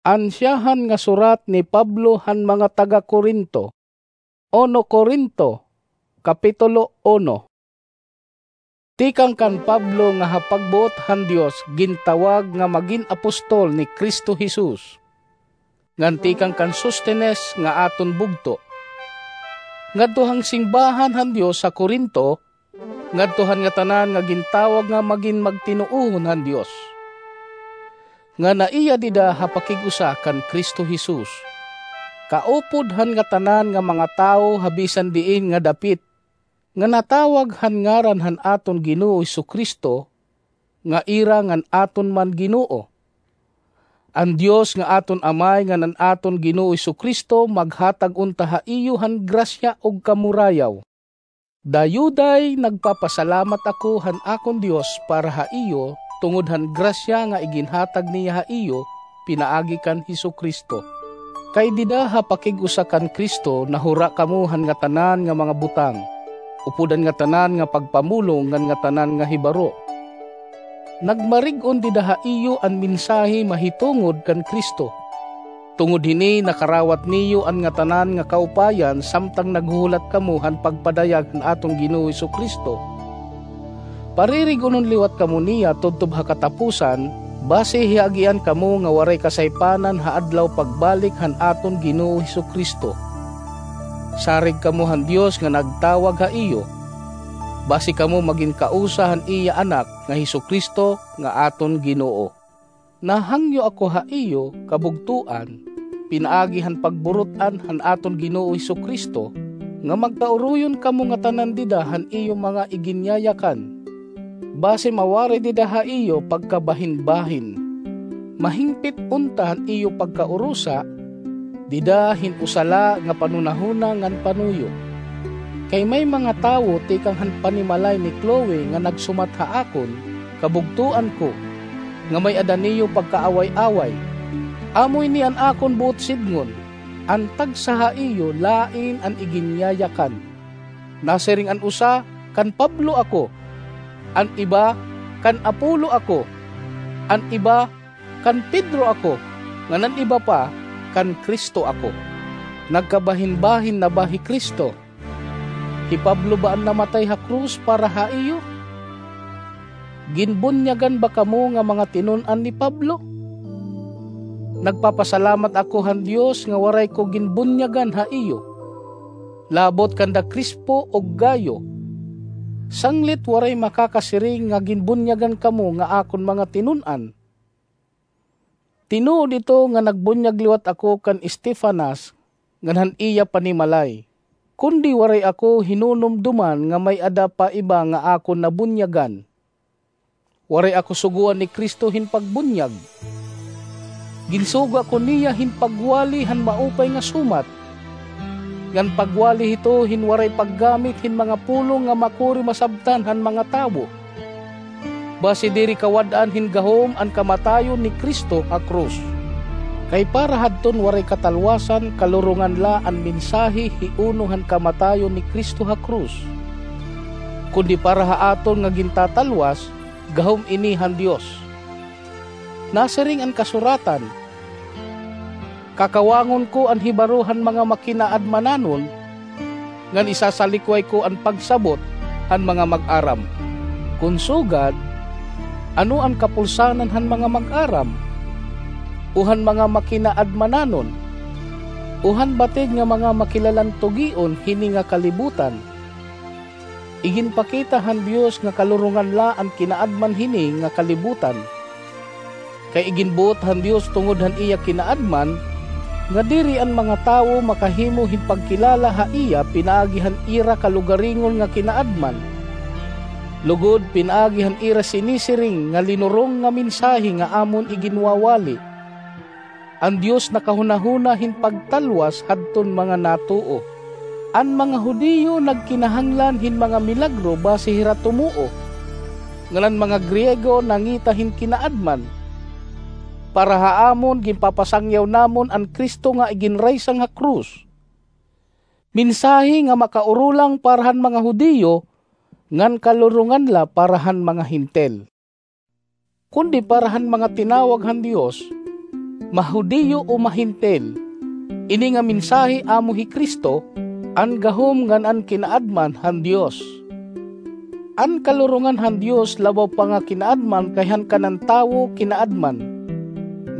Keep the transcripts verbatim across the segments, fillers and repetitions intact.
Ansyahan nga surat ni Pablo han mga taga-Corinto. Uno Corinto, Kapitulo uno. Tikang kan Pablo nga ha pagbuot han Dios gintawag nga magin apostol ni Cristo Jesus, ngan tikang kan Sostenes nga aton bugto, ngadto han simbahan han Dios ha Corinto, ngadto han ngatanan nga gintawag nga magin magtinuohon han Dios, nga naiya dida ha pakig-usa kan Cristo Jesus, kaupod han ngatanan nga mga tawo ha bisan diin nga dapit, nga natawag han ngaran han aton Ginoo Jesu-Cristo, nga ira ngan aton man Ginoo. An Dios nga aton Amay ngan an aton Ginoo Jesu-Cristo maghatag unta ha iyo han grasya ug kamurayaw. Dayuday nagpapasalamat ako han akon Dios para ha iyo tungod han grasya nga iginhatag niya ha iyo pinaagi kan Jesu-Cristo. Kay dida ha pakig-usa kan Cristo nahura kamo han ngatanan nga mga butang, upod han ngatanan nga pagpamulong ngan ngatanan nga hibaro. Nagmarig-on dida ha iyo an mensahe mahitungod kan Cristo. Tungod hini nakarawat niyo an ngatanan nga kaupayan samtang naghuhulat kamo han pagpadayag han aton Ginoo Jesu-Cristo. Paririg-onon liwat kamo niya tubtob ha katapusan, basi hiagian kamo nga waray kasaypanan ha adlaw pagbalik han aton Ginoo Jesu-Cristo. Sarig kamo han Dios nga nagtawag ha iyo, basi kamo magin kausa han iya Anak nga Jesu-Cristo nga aton Ginoo. Nahangyo ako ha iyo, kabugtoan, pinaagi han pagburut-an han aton Ginoo Jesu-Cristo, nga magkauroyon kamo ngatanan dida han iyo mga iginyayakan. Basi mawaray dida ha iyo pagkabahinbahin. Mahingpit unta han iyo pagkaurusa, dida hin usa la nga panhunahuna ngan panuyo. Kay may mga tawo tikang han panimalay ni Chloe nga nagsumat ha akon, kabugtoan ko, nga may-ada niyo pagkaaway-away. Amo ini an akon buot sidngon, an tagsa ha iyo lain an iginyayakan. Nasiring an usa, "Kan Pablo ako," an iba, "Kan Apolo ako," an iba, "Kan Pedro ako," ngan an iba pa, "Kan Cristo ako." Nagkabahinbahin na ba hi Cristo? Hi Pablo ba an namatay ha krus para ha iyo? Ginbunyagan ba kamo nga mga tinun-an ni Pablo? Nagpapasalamat ako han Dios nga waray ko ginbunyagan ha iyo, labot kanda Crispo ug Gayo. Sanglit waray makakasiring nga ginbunyagan kamo nga akon mga tinun-an. Tinuod ito nga nagbunyag liwat ako kan Estefanas ngan han iya panimalay, kundi waray ako hinunumdoman nga may-ada pa iba nga akon nabunyagan. Waray ako sugoan ni Cristo hin pagbunyag. Ginsugo ako niya hin pagwali han maupay nga sumat, ngan pagwali hito hin waray paggamit hin mga pulong nga makuri masabtan han mga tawo, basi diri kawad-an hin gahom an kamatayon ni Cristo ha krus. Kay para hadton waray katalwasan, kalurongan la an mensahe hiuno han kamatayon ni Cristo ha krus. Kundi para ha aton nga gintatalwas, gahom ini han Dios. Nasiring an kasuratan, "Kakawangon ko an hibaro han mga makinaadmananon, ngan isasalikway ko an pagsabot han mga mag-aram." Kon sugad, ano an kapulsanan han mga mag-aram, o han mga makinaadmananon, o han batid nga mga makilalantugion hini nga kalibutan? Iginpakita han Dios nga kalurongan la an kinaadman hini nga kalibutan. Kay iginbuot han Dios tungod han iya kinaadman, nga diri an mga tawo makahimo hin pagkilala ha iya pinaagi han ira kalugaringon nga kinaadman, lugod pinaagi han ira sinisiring nga linurong nga mensahe nga amon iginwawali. An Dios nakahunahuna hin pagtalwas hadton mga natuo. An mga Judio nagkinahanglan hin mga milagro basi hira tumuo, ngan an mga Griego nangita hin kinaadman. Para ha amon, ginpapasangyaw namon an Cristo nga iginraysang ha krus, mensahe nga makaurulang para han mga Judio, ngan kalurongan la para han mga Hentil. Kundi para han mga tinawag han Dios, mahudiyo o mahentil. Ini nga mensahe amo hi Cristo, an gahom ngan an kinaadman han Dios. An kalurongan han Dios labaw pa nga kinaadman kay han kanan tawo kinaadman,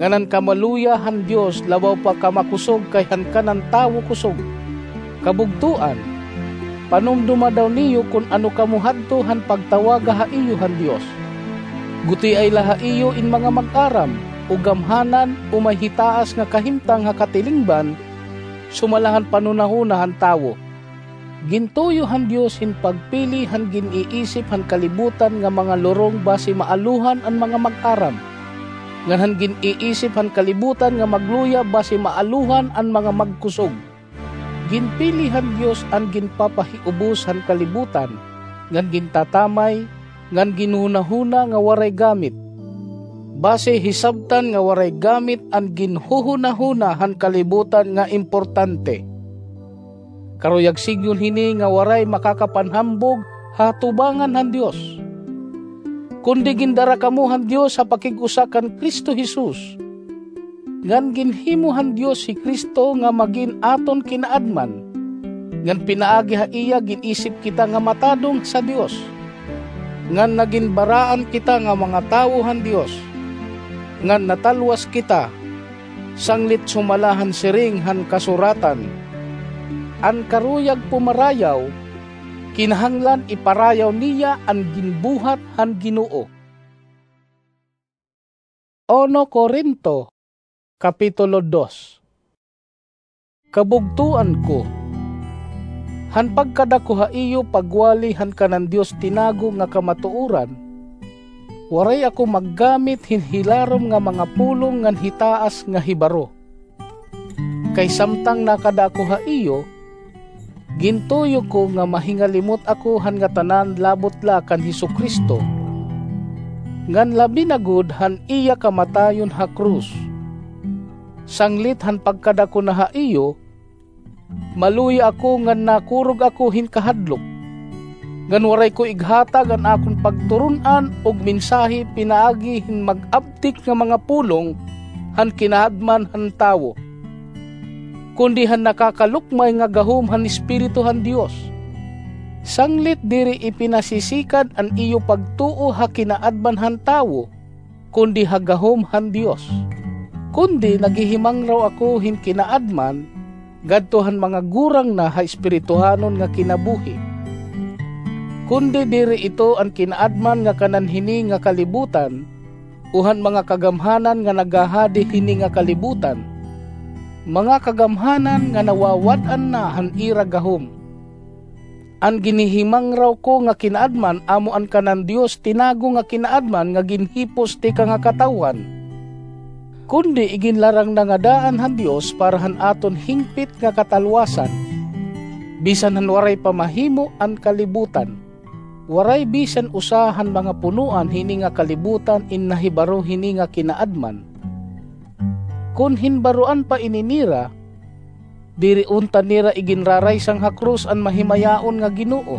ngan an kamaluya han Dios labaw pa kamakusog kay han kanan tawo kusog. Kabugtoan, panumdoma daw niyo kon ano kamo hadto han pagtawaga ha iyo han Dios. Gutiay la ha iyo in mga mag-aram, o gamhanan, o may hitaas nga kahimtang ha katilingban, sumala han panhunahuna han tawo. Gintuyo han Dios hin pagpili han gin-iisip han kalibutan nga mga lurong basi maalohan an mga mag-aram, ngan han gin-iisip han kalibutan nga magluya basi maalohan an mga magkusog. Ginpili han Dios an ginpapahiubos han kalibutan, ngan gintatamay, ngan ginhunahuna nga waray gamit. Basi hisabtan nga waray gamit an ginhuhunahuna han kalibutan nga importante. Karuyag sidngon hini nga waray makakapanhambog ha atubangan han Dios. Kundi gindara kamo han Dios ha pakig-usa kan Cristo Jesus, ngan ginhimo han Dios hi Cristo nga magin aton kinaadman, ngan pinaagi ha iya gin-isip kita nga matadong sa Dios, ngan nagin baraan kita nga mga tawo han Dios, ngan natalwas kita, sanglit sumala han siring han kasuratan, "An karuyag pumarayaw, kinahanglan iparayaw niya an ginbuhat han Ginoo." Uno Corinto, Kapitulo dos. Kabugtoan ko, han pagkadako ha iyo pagwali han kanan Dios tinago nga kamatuoran, waray ako maggamit hin hilarom nga mga pulong ngan hitaas nga hibaro. Kay samtang nakada ako ha iyo, gintuyo ko nga mahingalimot ako han ngatanan labot la kan Jesu-Cristo, ngan labi na gud han iya kamatayon ha krus. Sanglit han pagkadako na ha iyo, maluya ako ngan nakurog ako hin kahadlok, ngan waray ko ighatag an akon pagturon-an ug mensahe pinaagi hin mag-abtik nga mga pulong han kinaadman han tawo, kundi han nakakalukmay nga gahom han Espiritu han Dios. Sanglit diri ipinasisikad an iyo pagtuo ha kinaadman han tawo, kundi ha gahom han Dios. Kundi naghihimangraw ako hin kinaadman ngadto han mga gurang na ha espirituhanon nga kinabuhi. Kundi diri ito an kinaadman nga kanan hini nga kalibutan, o han mga kagamhanan nga naghahadi hini nga kalibutan, mga kagamhanan nga nawawad-an na han ira gahom. An ginhihimangraw ko nga kinaadman amo an kanan Dios tinago nga kinaadman nga ginhipos tikang ha katawhan, kundi iginlarang na nga daan han Dios para han aton hingpit nga katalwasan, bisan han waray pa mahimo an kalibutan. Waray bisan usa han mga punoan hini nga kalibutan in nahibaro hini nga kinaadman. Kon hinbaroan pa ini nira, diri unta nira iginraraysang ha krus an mahimayaon nga Ginoo,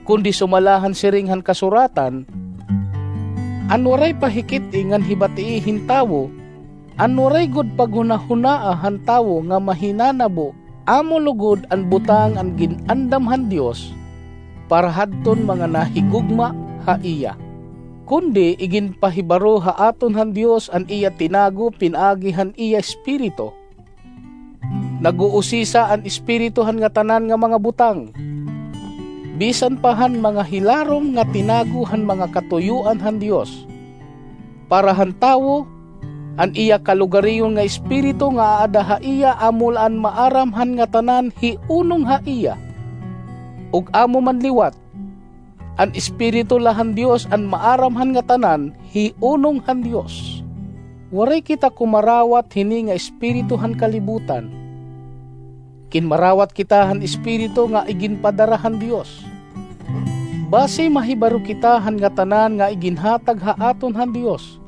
kundi sumala han siring han kasuratan, "An waray pa hikit-i ngan hibatii hin tawo, an waray gud paghunahunaa han tawo nga mahinanabo, amo lugod an butang an gin-andam han Dios para hadton mga nahigugma ha iya." Kundi iginpahibaro ha aton han Dios an iya tinago pinaagi han iya Espiritu. Nag-uusisa an Espiritu han ngatanan nga mga butang, bisan pa han mga hilarom nga tinago han mga katuyoan han Dios. Para han tawo, an iya kalugariyon nga espiritu nga aada ha iya amo la an maaram han ngatanan hiunong ha iya. Ug amo man liwat, an Espiritu la han Dios an maaram han ngatanan hiunong han Dios. Waray kita kumarawat hini nga espiritu han kalibutan. Kinmarawat kita han Espiritu nga iginpadara han Dios. Basi mahibaro kita han ngatanan nga iginhatag ha aton han Dios.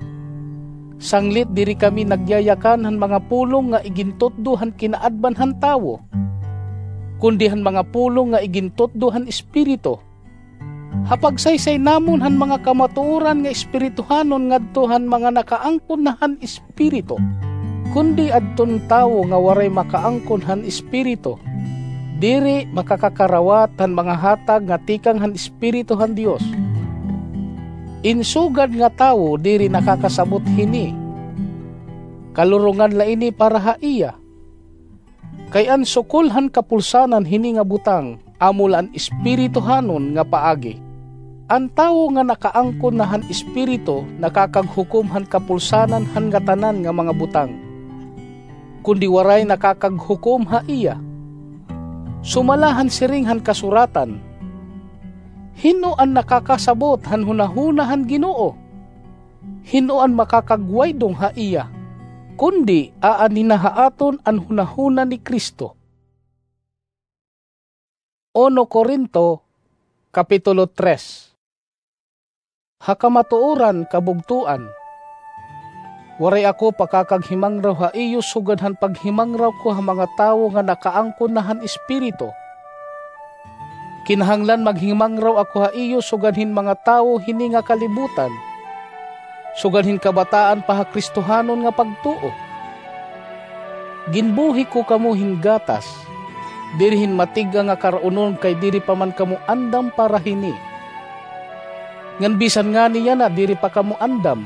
Sanglit diri kami nagyayakan han mga pulong nga igintutdo han kinaadman han tawo, kundi han mga pulong nga igintutdo han Espiritu. Ha pagsaysay namon han mga kamatuoran nga espirituhanon ngadto han mga nakaangkon na han Espiritu. Kundi adton tawo nga waray makaangkon han Espiritu, diri makakakarawat han mga hatag nga tikang han Espiritu han Dios. In sugad nga tawo diri nakakasabot hini. Kalurongan la ini para ha iya. Kay an sukol han kapulsanan hini nga butang, amo la an espirituhanon nga paagi. An tawo nga nakaangkon na han Espiritu nakakaghukom han kapulsanan han ngatanan nga mga butang. Kundi waray nakakaghukom ha iya. Sumala han siring han kasuratan, "Hin-o an nakakasabot han hunahuna han Ginoo? Hin-o an makakagwaydong ha iya?" Kundi aanhi na ha aton an hunahuna ni Cristo. Uno Corinto, Kapitulo tres. Ha kamatuoran, kabugtoan, waray ako pakakaghimangraw ha iyo sugad han paghimangraw ko ha mga tawo nga nakaangkon na han Espiritu. Kinahanglan maghimangraw ako ha iyo sugad hin mga tawo hini nga kalibutan, sugad hin kabataan pa ha Kristohanon nga pagtuo. Ginbuhi ko kamo hin gatas, diri hin matig-a nga kar-unon, kay diri pa man kamo andam para hini. Ngan bisan ngani yana diri pa kamo andam,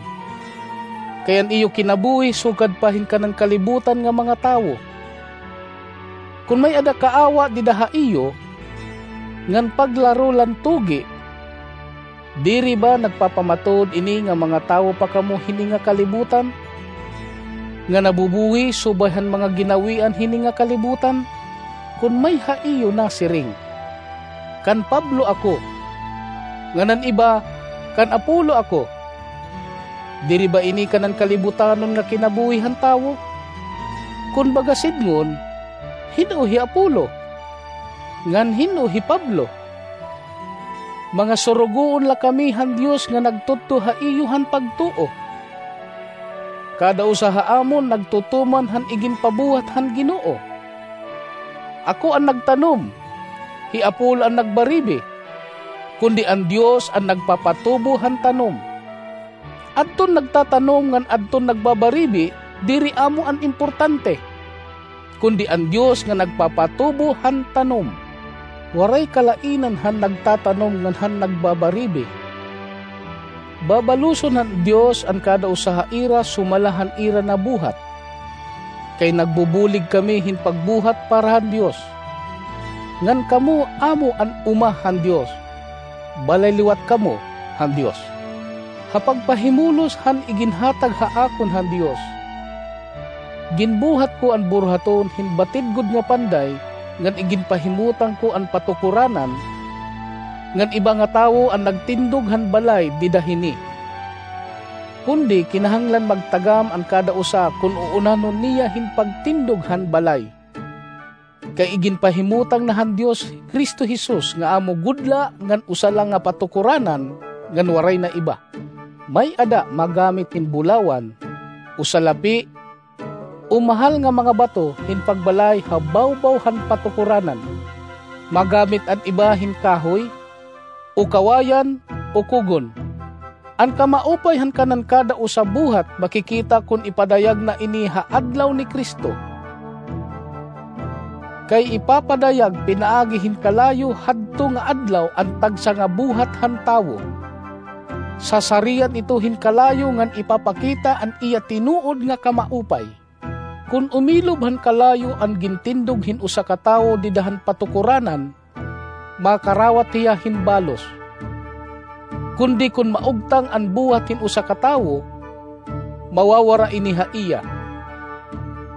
kay an iyo kinabuhi sugad pa hin kanan kalibutan nga mga tawo. Kon may-ada kaawa dida ha iyo, ngan paglaro la hin tugi, diri ba nagpapamatuod ini nga mga tawo pa kamo hini nga kalibutan, nga nabubuhi subay han mga ginawian hini nga kalibutan? Kon may ha iyo nasiring, "Kan Pablo ako," ngan an iba, "Kan Apolo ako," diri ba ini kanan kalibutanon nga kinabuhi han tawo? Kon baga sidngon, hin-o hi Apolo? Ngan hin-o hi Pablo? Mga surugoon la kami han Dios nga nagtudto ha iyo han pagtuo. Kada usa ha amon nagtutuman han iginpabuhat han Ginoo. Ako an nagtanom, hi Apolo an nagbaribi, kundi an Dios an nagpapatubo han tanom. Adton nagtatanom ngan adton nagbabaribi, diri amo an importante, kundi an Dios nga nagpapatubo han tanom. Waray kalainan han nagtatanom ngan han nagbabaribi. Babaluson han Dios an kada usa ha ira sumala han ira nabuhat. Kay nagbubulig kami hin pagbuhat para han Dios. Ngan kamo amo an uma han Dios. Balay liwat kamo han Dios. Ha pagpahimulos han iginhatag ha akon han Dios, ginbuhat ko an buruhaton hin batid gud nga panday, ngan iginpahimutang ko an patukoranan, ngan iba nga tawo an nagtindog han balay dida hini. Kundi kinahanglan magtagam an kada usa kon uunanon niya hin pagtindog han balay. Kay iginpahimutang na han Dios hi Cristo Jesus nga amo gud la ngan usa la nga patukoranan ngan waray na iba. May-ada magamit hin bulawan, o salapi, o mahal nga mga bato hin pagbalay ha bawbaw han patukoranan. Magamit an iba hin kahoy, o kawayan, o kugon. An kamaupay han kanan kada usa buhat makikita kon ipadayag na ini ha adlaw ni Cristo. Kay ipapadayag pinaagi hin kalayo hadto nga adlaw an tagsa nga buhat han tawo. Sasarian ito hin kalayo ngan ipapakita an iya tinuod nga kamaupay. Kon umilob han kalayo an gintindog hin usa ka tawo dida han patukoranan, makarawat hiya hin balos. Kundi kon maugtang an buhat hin usa ka tawo, mawawara ini ha iya.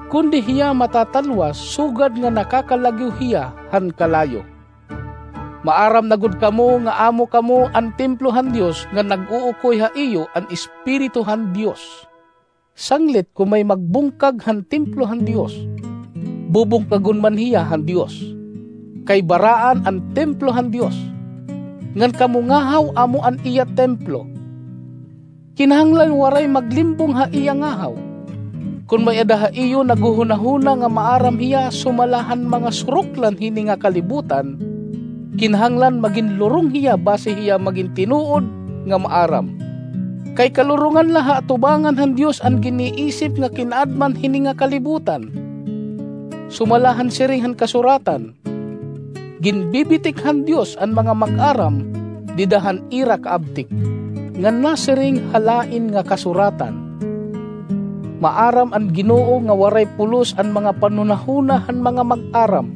Kundi hiya matatalwas sugad nga nakakalagyo hiya han kalayo. Maaram na gud kamo nga amo kamo an templo han Dios, nga nag-uukoy ha iyo an Espiritu han Dios. Sanglit kon may magbungkag han templo han Dios, bubungkagon man hiya han Dios, kay baraan an templo han Dios. Ngan kamo ngahaw amo an iya templo. Kinahanglan waray maglimbong ha iya ngahaw. Kon may-ada ha iyo naghuhunahuna nga maaram hiya sumala han mga suruklan hini nga kalibutan, Kinahanglan magin lurong hiya basi hiya magin tinuod nga maaram. Kay kalurongan la ha atubangan han Dios an giniisip nga kinaadman hini nga kalibutan. Sumala han siring han kasuratan, ginbibitik han Dios an mga mag-aram dida han ira kaabtik, ngan nasiring ha lain nga kasuratan, maaram an Ginoo nga waray pulos an mga panhunahuna han mga mag-aram.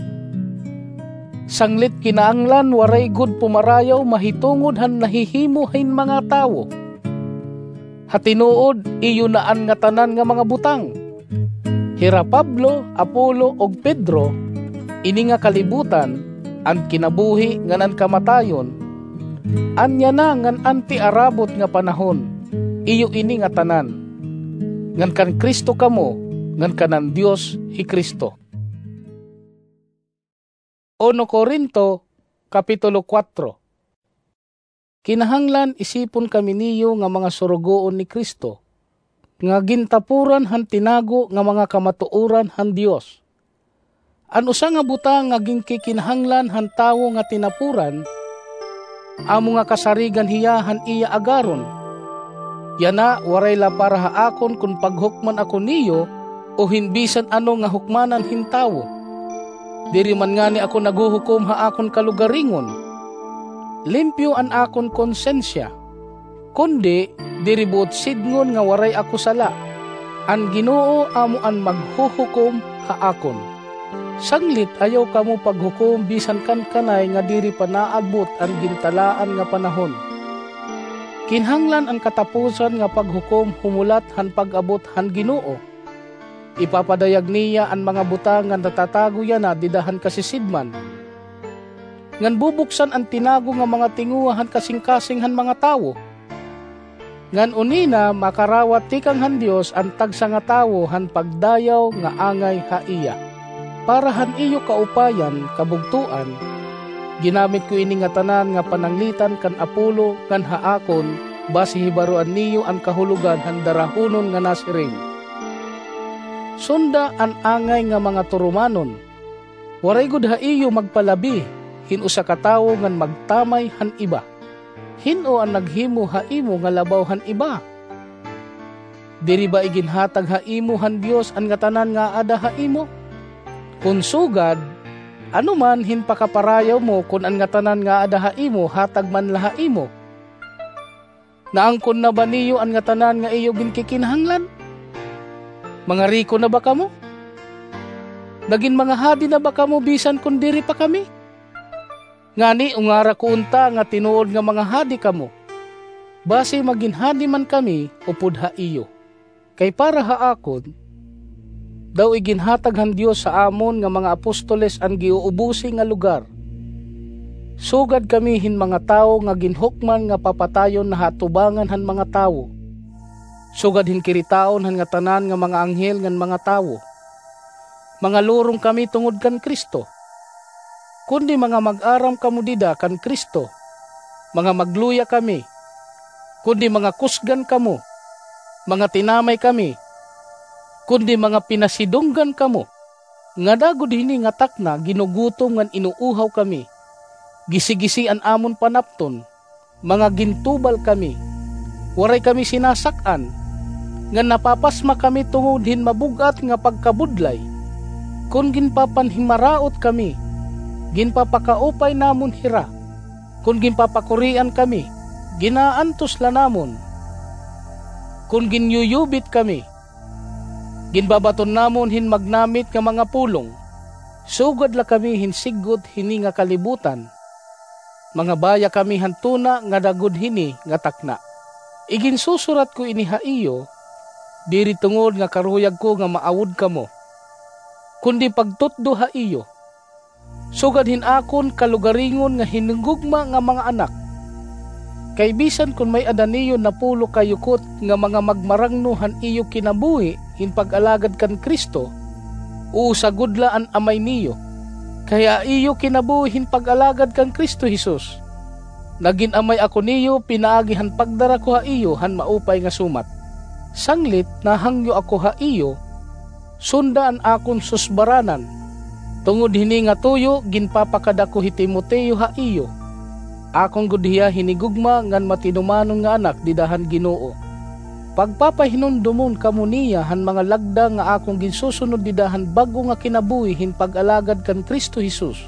Sanglit kinahanglan waray gud pumarayaw mahitungod han nahihimo hin mga tawo. Ha tinuod, iyo na an ngatanan nga mga butang. Hira Pablo, Apollo, ug Pedro, ini nga kalibutan, an kinabuhi ngan an kamatayon, an yana ngan an tiarabot nga panahon, iyo ini ngatanan. Ngan kan Cristo kamo, ngan kan an Dios hi Cristo. Uno Corinto, Kapitulo kuwatro. Kinahanglan isipon kami niyo nga mga surugoon ni Cristo, nga gintapuran han tinago nga mga kamatuoran han Dios. An usa nga butang nga ginkikinahanglan han tawo nga tinapuran, amo nga kasarigan hiya han iya agaron. Yana, waray la para ha akon kon paghukman ako niyo, o hin bisan ano nga hukmanan hin tawo. Diri man ngani ako naghuhukom ha akon kalugaringon. Limpyo an akon konsensya. Kundi, diri buot sidngon nga waray ako sala. An Ginoo amo an maghuhukom ha akon. Sanglit ayaw kamo paghukom bisan kan kanay nga diri pa naabot an gintalaan nga panahon. Kinahanglan an katapusan nga paghukom humulat han pag-abot han Ginoo. Ipapadayag niya an mga butang nga natatago yana dida han kasisidman, ngan bubuksan an tinago nga mga tinguha han kasingkasing han mga tawo. Ngan unina makarawat tikang han Dios an tagsa nga tawo han pagdayaw nga angay ha iya. Para han iyo kaupayan, kabugtoan, ginamit ko ini ngatanan nga pananglitan kan Apollo ngan ha akon, basi hibaroan niyo an kahulogan han darahunon nga nasiring, "Sunda an angay nga mga turumanon." Waray gud ha iyo magpalabi hin usa ka tawo ngan magtamay han iba. Hin-o an naghimo ha imo nga labaw han iba? Diri ba iginhatag ha imo han Dios an ngatanan nga aada ha imo? Kon sugad, ano man hin pakaparayaw mo kon an ngatanan nga aada ha imo hatag man la ha imo? Naangkon na ba niyo an ngatanan nga iyo ginkikinahanglan? Mga riko na ba kamo? Nagin mga hadi na ba kamo bisan kon diri pa kami? Ngani ungara ko unta nga tinuod nga mga hadi kamo, basi magin hadi man kami upod ha iyo. Kay para ha akon, daw iginhatag han Dios ha amon nga mga apostoles an giuubusi nga lugar. Sugad kami hin mga tawo nga ginhukman nga papatayon na ha atubangan han mga tawo. Sugad hin kiritaon han ngatanan nga mga anghel ngan mga tawo. Mga lurong kami tungod kan Cristo. Kundi mga mag-aram kamo dida kan Cristo, mga magluya kami. Kundi mga kusgan kamo, mga tinamay kami. Kundi mga pinasidunggan kamo. Ngada gud hini nga takna ginugutom ngan inuuhaw kami. Gisi-gisi an amon panapton. Mga gintubal kami. Waray kami sinasak-an, ngan napapasma kami tungod hin mabug-at nga pagkabudlay. Kon ginpapanhimaraot kami, ginpapakaupay namon hira. Kon ginpapakurian kami, ginaantos la namon. Kon ginyuyubit kami, ginbabaton namon hin magnamit nga mga pulong. Sugad la kami hin siggot hini nga kalibutan. Mga baya kami han tuna ngada gud hini nga takna. Iginsusurat ko ini ha iyo, diri tungod nga karuyag ko nga maawod kamo, kundi pagtutdo ha iyo, sugad hin akon kalugaringon nga hinunggugma nga mga anak. Kay bisan kon may-ada niyo napulo ka yukot nga mga magmarangno han iyo kinabuhi hin pag-alagad kan Cristo, usa gud la an amay niyo. Kay ha iyo kinabuhi hin pag-alagad kan Cristo Jesus, nagin amay ako niyo pinaagi han pagdara ko ha iyo han maupay nga sumat. Sanglit nahangyo ako ha iyo, sunda an akon susbaranan, Tungod hini nga tuyo, ginpapakada ko hi Timoteo ha iyo. Akon gud hiya hinigugma ngan matinumanon nga anak dida han Ginoo. Pagpapahinumdomon kamo niya han mga lagda nga akon ginsusunod dida han bag-o nga kinabuhi hin pag-alagad kan Cristo Jesus,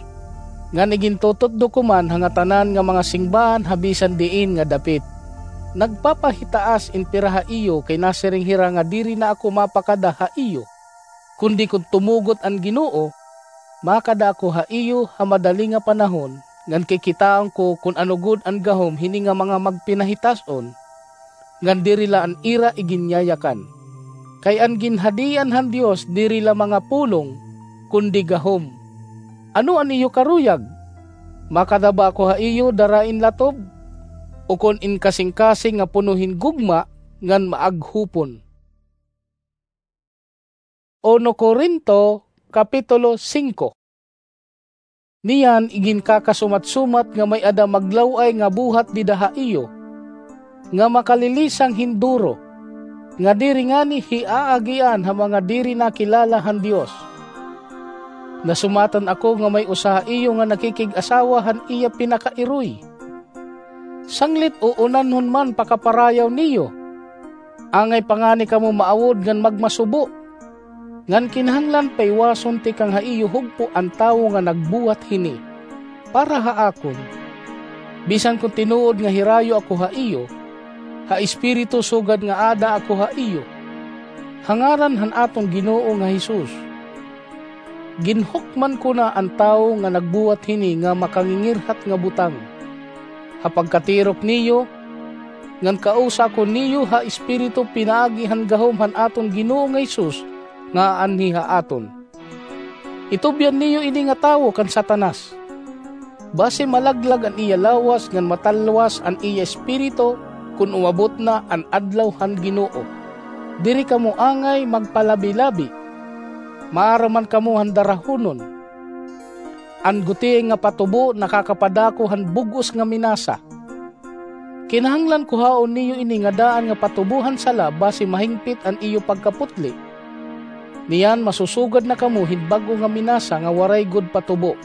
ngan igintututdo ko man ha ngatanan nga mga singbahan ha bisan diin nga dapit. Nagpapahitaas in pira ha iyo kay nasiring hira nga diri na ako mapakada ha iyo. Kundi kon tumugot an Ginoo, makada ako ha iyo ha madali nga panahon, ngan kikitaon ko kon ano gud an gahom hini nga mga magpinahitas-on, ngan diri la an ira iginyayakan. Kay an ginhadian han Dios diri la mga pulong, kundi gahom. Ano an iyo karuyag? Makada ba ako ha iyo dara in latob, ukon in kasingkasing nga puno hin gugma ngan maaghupon? Uno Corinto, Kapitulo singko. Niyan iginkakasumat-sumat nga may-ada maglaw-ay nga buhat dida ha iyo, nga makalilisang hin duro, nga diri ngani hiaagian ha mga diri nakilala han Dios. Nasumatan ako nga may usa ha iyo nga nakikig-asawa han iya pinakairoy. Sanglit uunanhon man pakaparayaw niyo. Angay pa ngani kamo maawod ngan magmasubo. Ngan kinahanglan paiwason tikang ha iyo hugpo an tawo nga nagbuhat hini. Para ha akon, bisan kon tinuod nga hirayo ako ha iyo, ha espiritu sugad nga ada ako ha iyo, ha ngaran han aton Ginoo nga Jesus. Ginhukman ko na an tawo nga nagbuhat hini nga makangingirhat nga butang. Ha pagkatirok niyo, ngan kausa ko niyo ha espiritu pinaagi han gahom han aton Ginoo nga Jesus nga aanhi ha aton. Itubyan niyo ini nga tawo kan Satanas. Basi malaglag an iya lawas ngan matalwas an iya espiritu kon umabot na an adlaw han Ginoo. Diri kamo angay magpalabi-labi. Maaram man kamo han darahonon. An gutiay nga patubo nakakapadako han bug-os nga minasa. Kinahanglan kuhaon niyo ini nga daan nga patubo han sala basi mahingpit an iyo pagkaputli. Niyan masusugad na kamo hin bag-o nga minasa nga waray gud patubo.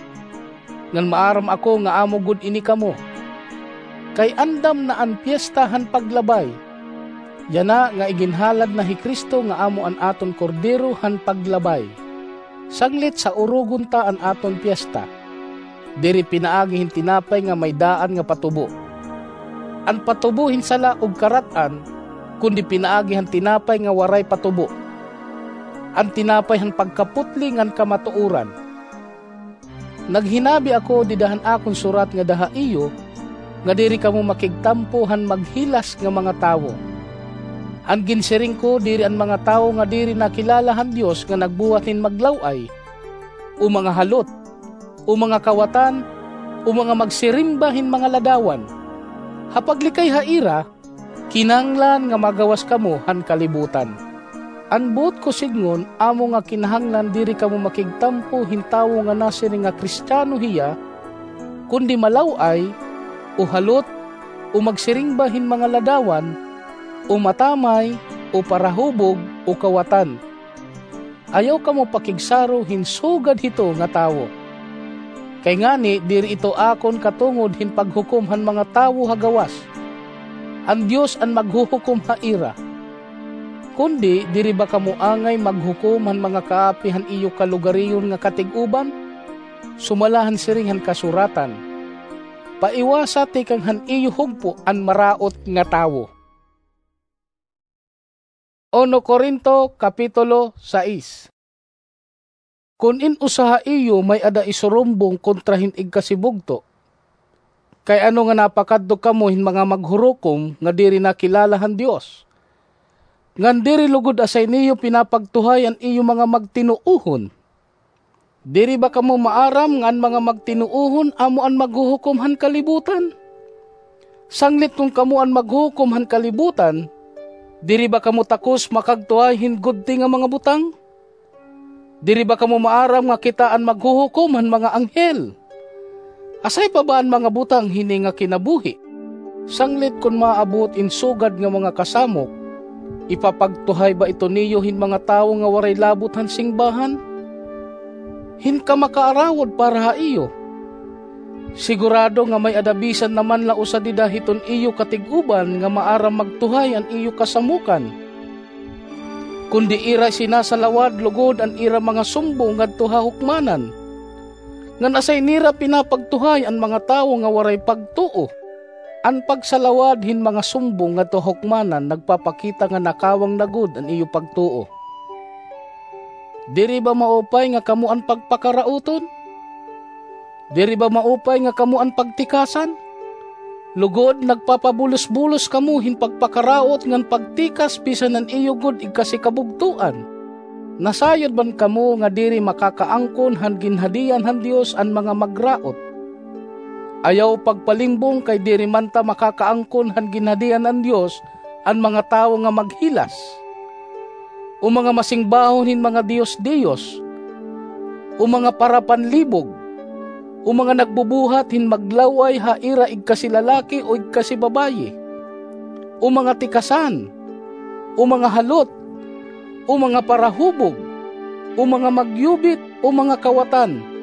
Ngan maaram ako nga amo gud ini kamo. Kay andam na an Piesta han Paglabay. Yana nga iginhalad na hi Cristo nga amo an aton Kordero han Paglabay. Sanglit sa urogon ta an aton piesta. Diri pinaagi hin tinapay nga may daan nga patubo. An patubo hin sala ug karat-an, kundi pinaagi han tinapay nga waray patubo. An tinapay han pagkaputli ngan kamatuoran. Naghinabi ako dida han akon surat ngada ha iyo, nga diri kamo makigtampo han maghilas nga mga tawo. An ginsiring ko diri an mga tawo nga diri nakilala han Dios nga nagbuhat hin maglaw-ay, o mga halot, o mga kawatan, o mga magsirimba hin mga ladawan. Ha paglikay ha ira, kinahanglan nga magawas kamo han kalibutan. An buot ko sidngon amo nga kinahanglan diri kamo makigtampo hin tawo nga nasiring nga Kristiano hiya, kundi malaw-ay, o halot, o magsirimba hin mga ladawan, o matamay, o parahubog, o kawatan. Ayaw kamo pakigsaro hin sugad hito nga tawo. Kay ngani, diri ito akon katungod hin paghukom han mga tawo ha gawas. An Dios an maghuhukom ha ira. Kundi, diri ba kamo angay maghukom han mga kaapi han iyo kalugariyon nga katig-uban? Sumala han siring han kasuratan, "Paiwasa tikang han iyo hugpo an maraot nga tawo." Uno Corinto, Kapitulo sais. Kon in usa ha iyo may-ada isurumbong kontra hin igkasibugto, kay ano nga napakadto kamo hin mga maghurukom nga diri nakilala han Dios? Ngan diri lugod asay niyo pinapagtuhay an iyo mga magtinuohon? Diri ba kamo maaram nga an mga magtinuohon amo an maghuhukom han kalibutan? Sanglit kon kamo an maghuhukom han kalibutan, diri ba kamo takos makagtuhay hin gudti nga mga butang? Diri ba kamo maaram nga kita an maghuhukom han mga anghel? Asay pa ba an mga butang hini nga kinabuhi? Sanglit kon maabot in sugad nga mga kasamok, ipapagtuhay ba ito niyo hin mga tawo nga waray labot han singbahan? hin kamakaarawod para ha iyo. Sigurado nga may-ada bisan na man la usa dida hiton iyo katig-uban nga maaram magtuhay an iyo kasamokan. Kundi ira sinasalawad lugod an ira mga sumbong ngadto ha hukmanan, ngan asay nira pinapagtuhay an mga tawo nga waray pagtuo. An pagsalawad hin mga sumbong ngadto ha hukmanan nagpapakita nga nakawang na gud an iyo pagtuo. Diri ba maupay nga kamo an pagpakarauton? Diri ba maupay nga kamo an pagtikasan? Lugod, nagpapabulos-bulos kamo hin pagpakaraot ngan pagtikas bisan an iyo gud igkasikabugtoan. Nasayod man kamo nga diri makakaangkon han ginhadian han Dios an mga magraot. Ayaw pagpalimbong, kay diri man ta makakaangkon han ginhadian han Dios an mga tawo nga maghilas, o mga masingbahon hin mga diyos-diyos, o mga parapanlibog, o mga nagbubuhat hin maglaw-ay ha ira igkasilalaki o igkasibabayi, o mga tikasan, o mga halot, o mga parahubog, o mga magyubit, o mga kawatan.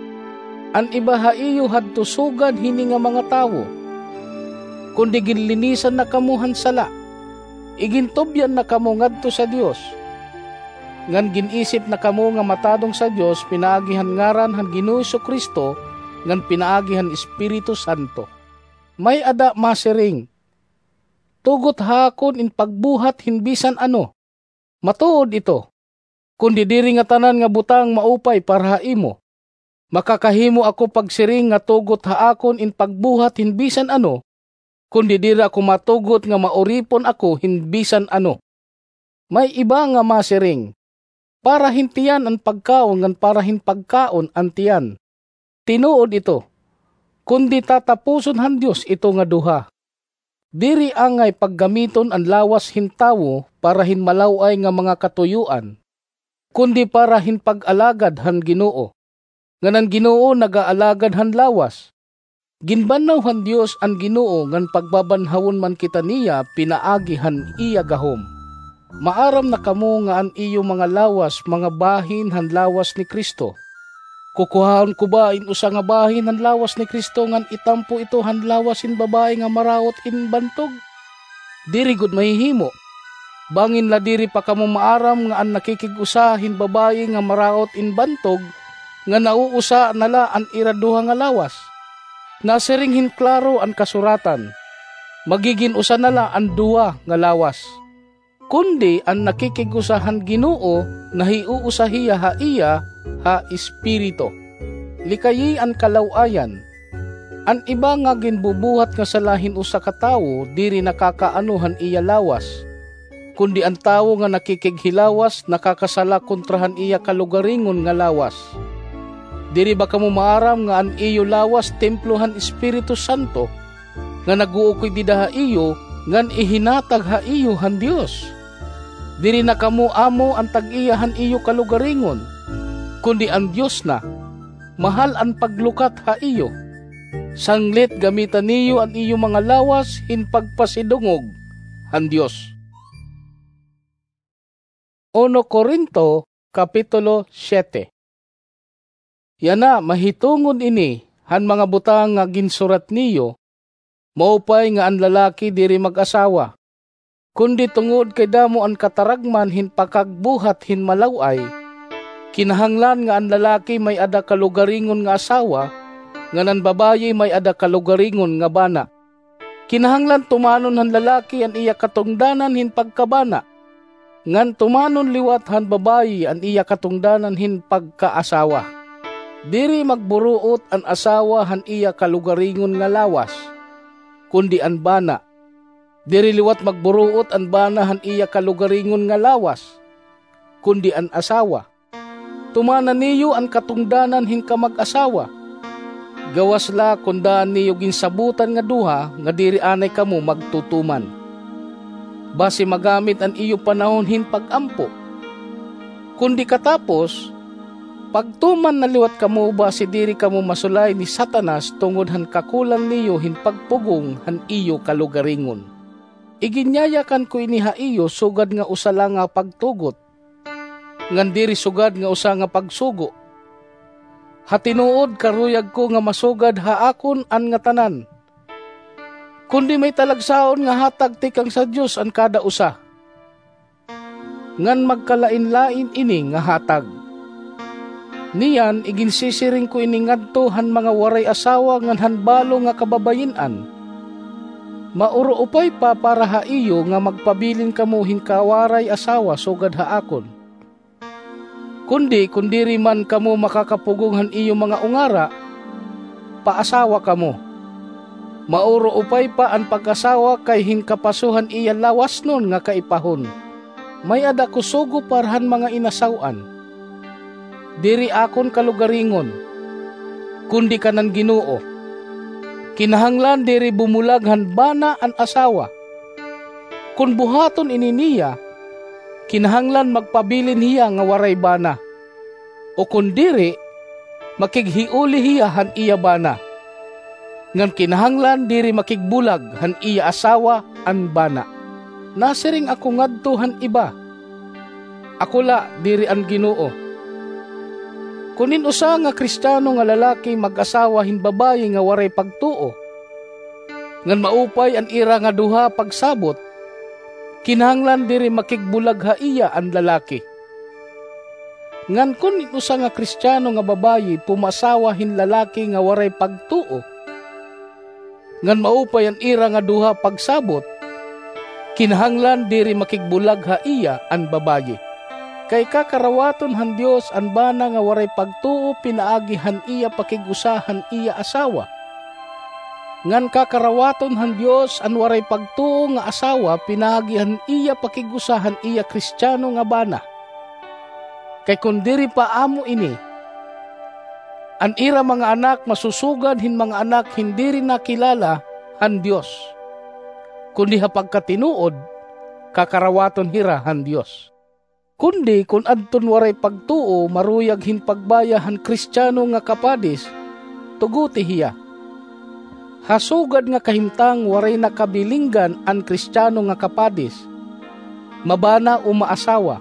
An iba ha iyo hadto sugad hini nga mga tawo. Kundi ginlinisan na kamo han sala, igintubyan na kamo ngadto sa Dios, ngan gin-isip na kamo nga matadong sa Dios pinaagi han ngaran han Ginoong Jesu-Cristo ngan pinaagi han Espiritu Santo. May-ada masiring, "Tugot ha akon in pagbuhat hin bisan ano." Matuod ito. Kundi diri ngatanan nga butang maupay para ha imo. Makakahimo ako pagsiring nga tugot ha akon in pagbuhat hin bisan ano, kundi diri ako matugot nga mauripon ako hin bisan ano. May iba nga masiring, "Para hin tiyan an pagkaon ngan para hin pagkaon an tiyan." Tinuod ito, kundi tatapuson han Dios ito nga duha. Diri angay paggamiton an lawas hin tawo para hin malaw-ay nga mga katuyoan, kundi para hin pag-alagad han Ginoo. Ngan an Ginoo nagaalagad han lawas. Ginbanhaw han Dios an Ginoo, ngan pagbabanhawon man kita niya pinaagi han iya gahom. Maaram na kamo nga an iyo mga lawas mga bahin han lawas ni Cristo. Kukuhaon ko ba in usa nga bahin han lawas ni Cristo ngan itampo ito han lawas hin babaye nga maraot in bantog? Diri gud mahihimo. Bangin la diri pa kamo maaram nga an nakikig-usa hin babaye nga maraot in bantog nga nauusa na la an ira duha nga lawas. Nasiring hin klaro an kasuratan, "Magigin usa na la an duha nga lawas." Kundi an nakikig-usa han Ginoo, nahiuusa hiya ha iya ha espiritu. Likayi an kalaw-ayan. An iba nga ginbubuhat nga sala hin usa ka tawo diri nakakaano han iya lawas. Kundi an tawo nga nakikighilawas nakakasala kontra han iya kalugaringon nga lawas. Diri ba kamo maaram nga an iyo lawas templo han Espiritu Santo, nga nag-uukoy dida ha iyo, ngan ihinatag ha iyo han Dios? Diri na kamo amo an tag-iya han iyo kalugaringon, kundi an Dios na. Mahal an paglukat ha iyo. Sanglit gamita niyo an iyo mga lawas hin pagpasidungog han Dios. Uno Corinto, Kapitulo siete. Yana, mahitungod ini han mga butang nga ginsurat niyo, maupay nga an lalaki diri mag-asawa. Kundi tungod kay damo an kataragman hin pakagbuhat hin malaw-ay, kinahanglan nga an lalaki may-ada kalugaringon nga asawa, ngan an babaye may-ada kalugaringon nga bana. Kinahanglan tumanon han lalaki an iya katungdanan hin pagkabana, ngan tumanon liwat han babaye an iya katungdanan hin pagkaasawa. Diri magburuot an asawa han iya kalugaringon nga lawas, kundi an bana. Diri liwat magburuot an bana han iya kalugaringon nga lawas, kundi an asawa. Tumana niyo an katungdanan hin kamag-asawa. Gawas la kon daan niyo ginsabotan nga duha nga diri anay kamo magtutuman, basi magamit an iyo panahon hin pag-ampo. Kundi katapos, pagtuman na liwat kamo basi diri kamo masulay ni Satanas tungod han kakulang niyo hin pagpugong han iyo kalugaringon. Iginyayakan ko ini ha iyo sugad nga usa la nga pagtugot, ngan diri sugad nga usa nga pagsugo. Ha tinuod, karuyag ko nga masugad ha akon an ngatanan, kundi may talagsaon nga hatag tikang sa Dios an kada usa, ngan magkalainlain ini nga hatag. Niyan, iginsisiring ko ini ngadto han mga waray asawa ngan han balo nga kababayin-an: Mauro upay pa para ha iyo nga magpabilin kamo hin kawaray asawa sugad ha akon. Kundi kon diri man kamo makakapugong han iyo mga ungara, paasawa kamo. Mauro upay pa an pag-asawa kay hin kapaso han iya lawasnon nga kaipahon, may-ada ko sugo para han mga inasaw-an. Diri akon kalugaringon, kundi kanan Ginoo. Kinahanglan diri bumulag han bana an asawa. Kon buhaton ini niya, kinahanglan magpabilin hiya nga waray bana, o kon diri, makighiuli hiya han iya bana. Ngan kinahanglan diri makigbulag han iya asawa an bana. Nasiring ako ngadto han iba, ako la, diri an Ginoo. Kon in usa nga Kristiyano nga lalaki mag-asawa hin babaye nga waray pagtuo, ngan maupay an ira nga duha pagsabot, kinahanglan diri makigbulag ha iya an lalaki. Ngan kon in usa nga Kristiyano nga babaye pumaasawa hin lalaki nga waray pagtuo, ngan maupay an ira nga duha pagsabot, kinahanglan diri makigbulag ha iya an babaye. Kay kakarawaton han Dios an bana nga waray pagtuo pinaagi han iya pakig-usa han iya asawa. Ngan kakarawaton han Dios an waray pagtuo nga asawa pinaagi han iya pakig-usa han iya Kristiyano nga bana. Kay kon diri pa amo ini, an ira mga anak masusugad hin mga anak hin diri nakilala han Dios, kundi ha pagkatinuod, kakarawaton hira han Dios. Kundi kon adton waray pagtuo maruyag hin pagbaya han Kristiyano nga kapadis, tugoti hiya. Ha sugad nga kahimtang waray nakabilinggan an Kristiyano nga kapadis, mabana o maasawa.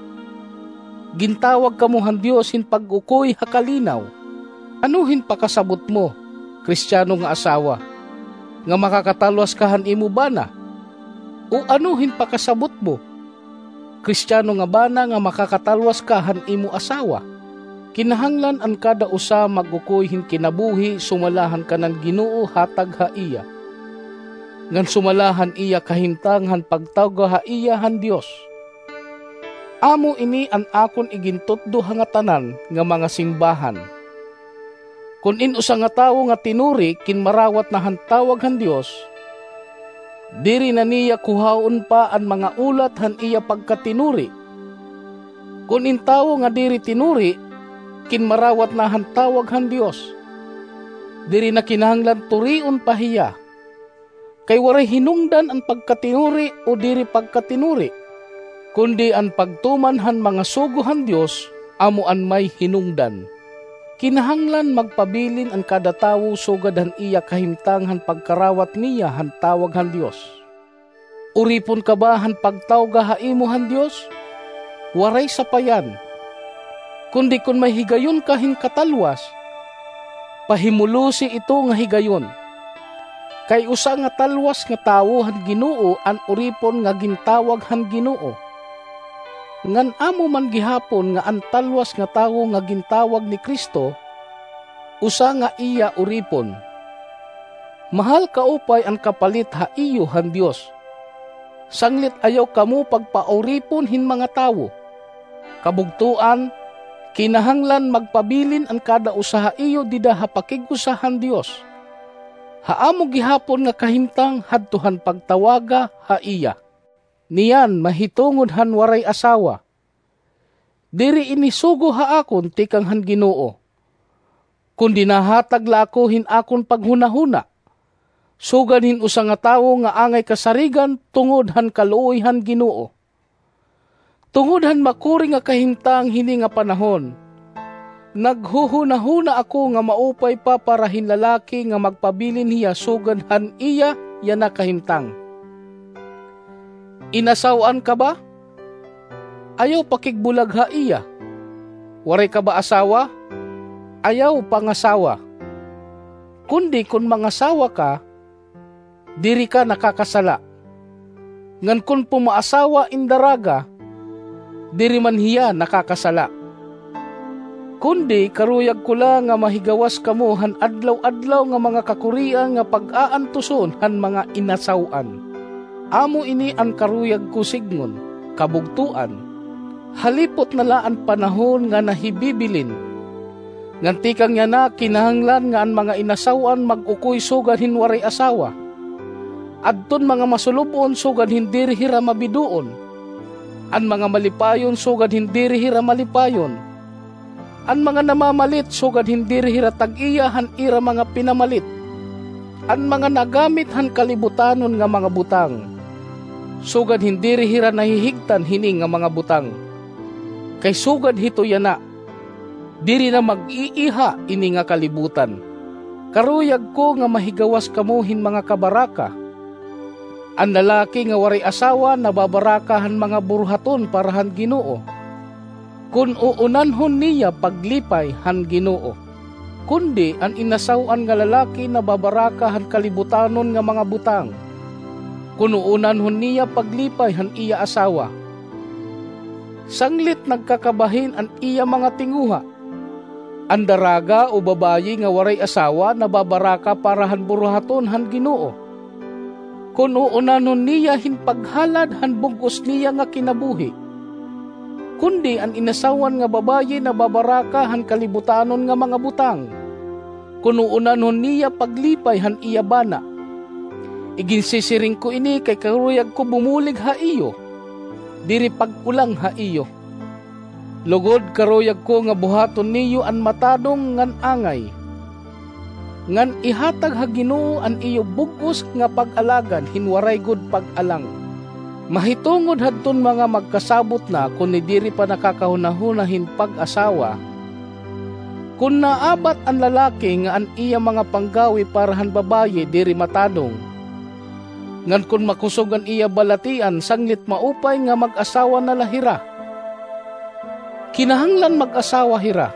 Gintawag kamo han Dios hin pag-ukoy ha kalinaw. Ano hin pakasabot mo, Kristiyano nga asawa, nga makakatalwas ka han imo bana? O ano hin pakasabot mo, Kristiyano nga bana, nga makakatalwas ka han imo asawa? Kinahanglan an kada usa mag-ukoy hin kinabuhi sumala han kanan Ginoo hatag ha iya, ngan sumala han iya kahimtang han pagtawga ha iya han Dios. Amo ini an akon igintutdo ha ngatanan nga mga simbahan. Kon in usa nga tawo nga tinuri kinmarawat na han tawag han Dios, diri na niya kuhaon pa an mga ulat han iya pagkatinuri. Kon in tawo nga diri tinuri kinmarawat na han tawag han Dios, diri na kinahanglan turion pa hiya. Kay waray hinungdan an pagkatinuri o diri pagkatinuri, kundi an pagtuman han mga sugo han Dios amo an may hinungdan. Kinahanglan magpabilin an kada tawo sugad han iya kahimtang han pagkarawat niya han tawag han Dios. Uripon ka ba han pagtawga ha imo han Dios? Waray sapayan. Kundi kon may higayon ka hin katalwas, pahimulosi ito nga higayon. Kay usa nga talwas nga tawo han Ginoo an uripon nga gintawag han Ginoo. Ngan amo man gihapon nga an talwas nga tawo nga gintawag ni Cristo, usa nga iya uripon. Mahal kaupay an kapalit ha iyo han Dios. Sanglit ayaw kamo pagpauripon hin mga tawo. Kabugtoan, kinahanglan magpabilin an kada usa ha iyo dida ha pakig-usa han Dios, ha amo gihapon nga kahimtang hadto han pagtawaga ha iya. Niyan mahitungod han waray asawa. Diri ini sugo ha akon tikang han Ginoo, kundi nahatag la ako hin akon paghunahuna, sugad hin usa nga tawo nga angay kasarigan tungod han kaluoy han Ginoo. Tungod han makuri nga kahimtang hini nga panahon, naghuhunahuna ako nga maupay pa para hin lalaki nga magpabilin hiya sugad han iya yana kahimtang. Inasaw-an ka ba? Ayaw pakigbulag ha iya. Waray ka ba asawa? ayaw pangasawa. Kundi kon mangasawa ka, diri ka nakakasala. Ngan kon pumaasawa in daraga, diri man hiya nakakasala. Kundi karuyag ko la nga mahigawas kamo han adlaw-adlaw nga mga kakurian nga pag-aantuson han mga inasaw-an. Amo ini an karuyag ko sidngon, kabugtoan. Halipot na la an panahon nga nahibibilin. Ngan tikang yana kinahanglan nga an mga inasaw-an mag-ukoy sugad hin waray asawa. Adton mga masulub-on sugad hin diri hira mabidoon. An mga malipayon sugad hin diri hira malipayon. An mga namamalit sugad hin diri hira tag-iya han ira mga pinamalit. An mga nagamit han kalibutanon nga mga butang, sugad hin diri hira nahihigtan hini nga mga butang. Kay sugad hito yana, diri na mag-iiha ini nga kalibutan. Karuyag ko nga mahigawas kamo hin mga kabaraka. An lalaki nga waray asawa nababaraka han mga buruhaton para han Ginoo, kon uunanhon niya paglipay han Ginoo. Kundi an inasaw-an nga lalaki nababaraka han kalibutanon nga mga butang, kon uunanhon niya paglipay han iya asawa. Sanglit nagkakabahin an iya mga tinguha. An daraga o babayi nga waray asawa nababaraka para han buruhaton han Ginoo, kon uunanhon niya hin paghalad han bug-os niya nga kinabuhi. Kundi an inasaw-an nga babayi nababaraka han kalibutanon nga mga butang, kon uunanhon niya paglipay han iya bana. Iginsisiring ko ini kay karuyag ko bumulig ha iyo, diri pag-ulang ha iyo. Lugod karuyag ko nga buhaton niyo an matadong ngan angay, ngan ihatag ha Ginoo an iyo bug-os nga pag-alagan hin waray gud pag-alang. Mahitungod hadton mga magkasabot na kon ni diri pa nakakahunahuna hin pag-asawa, kon naabat an lalaki nga an iya mga panggawi para han babayi diri matadong, ngan kon makusog an iya balatian sanglit maupay nga mag-asawa na la hira. Kinahanglan mag-asawa hira,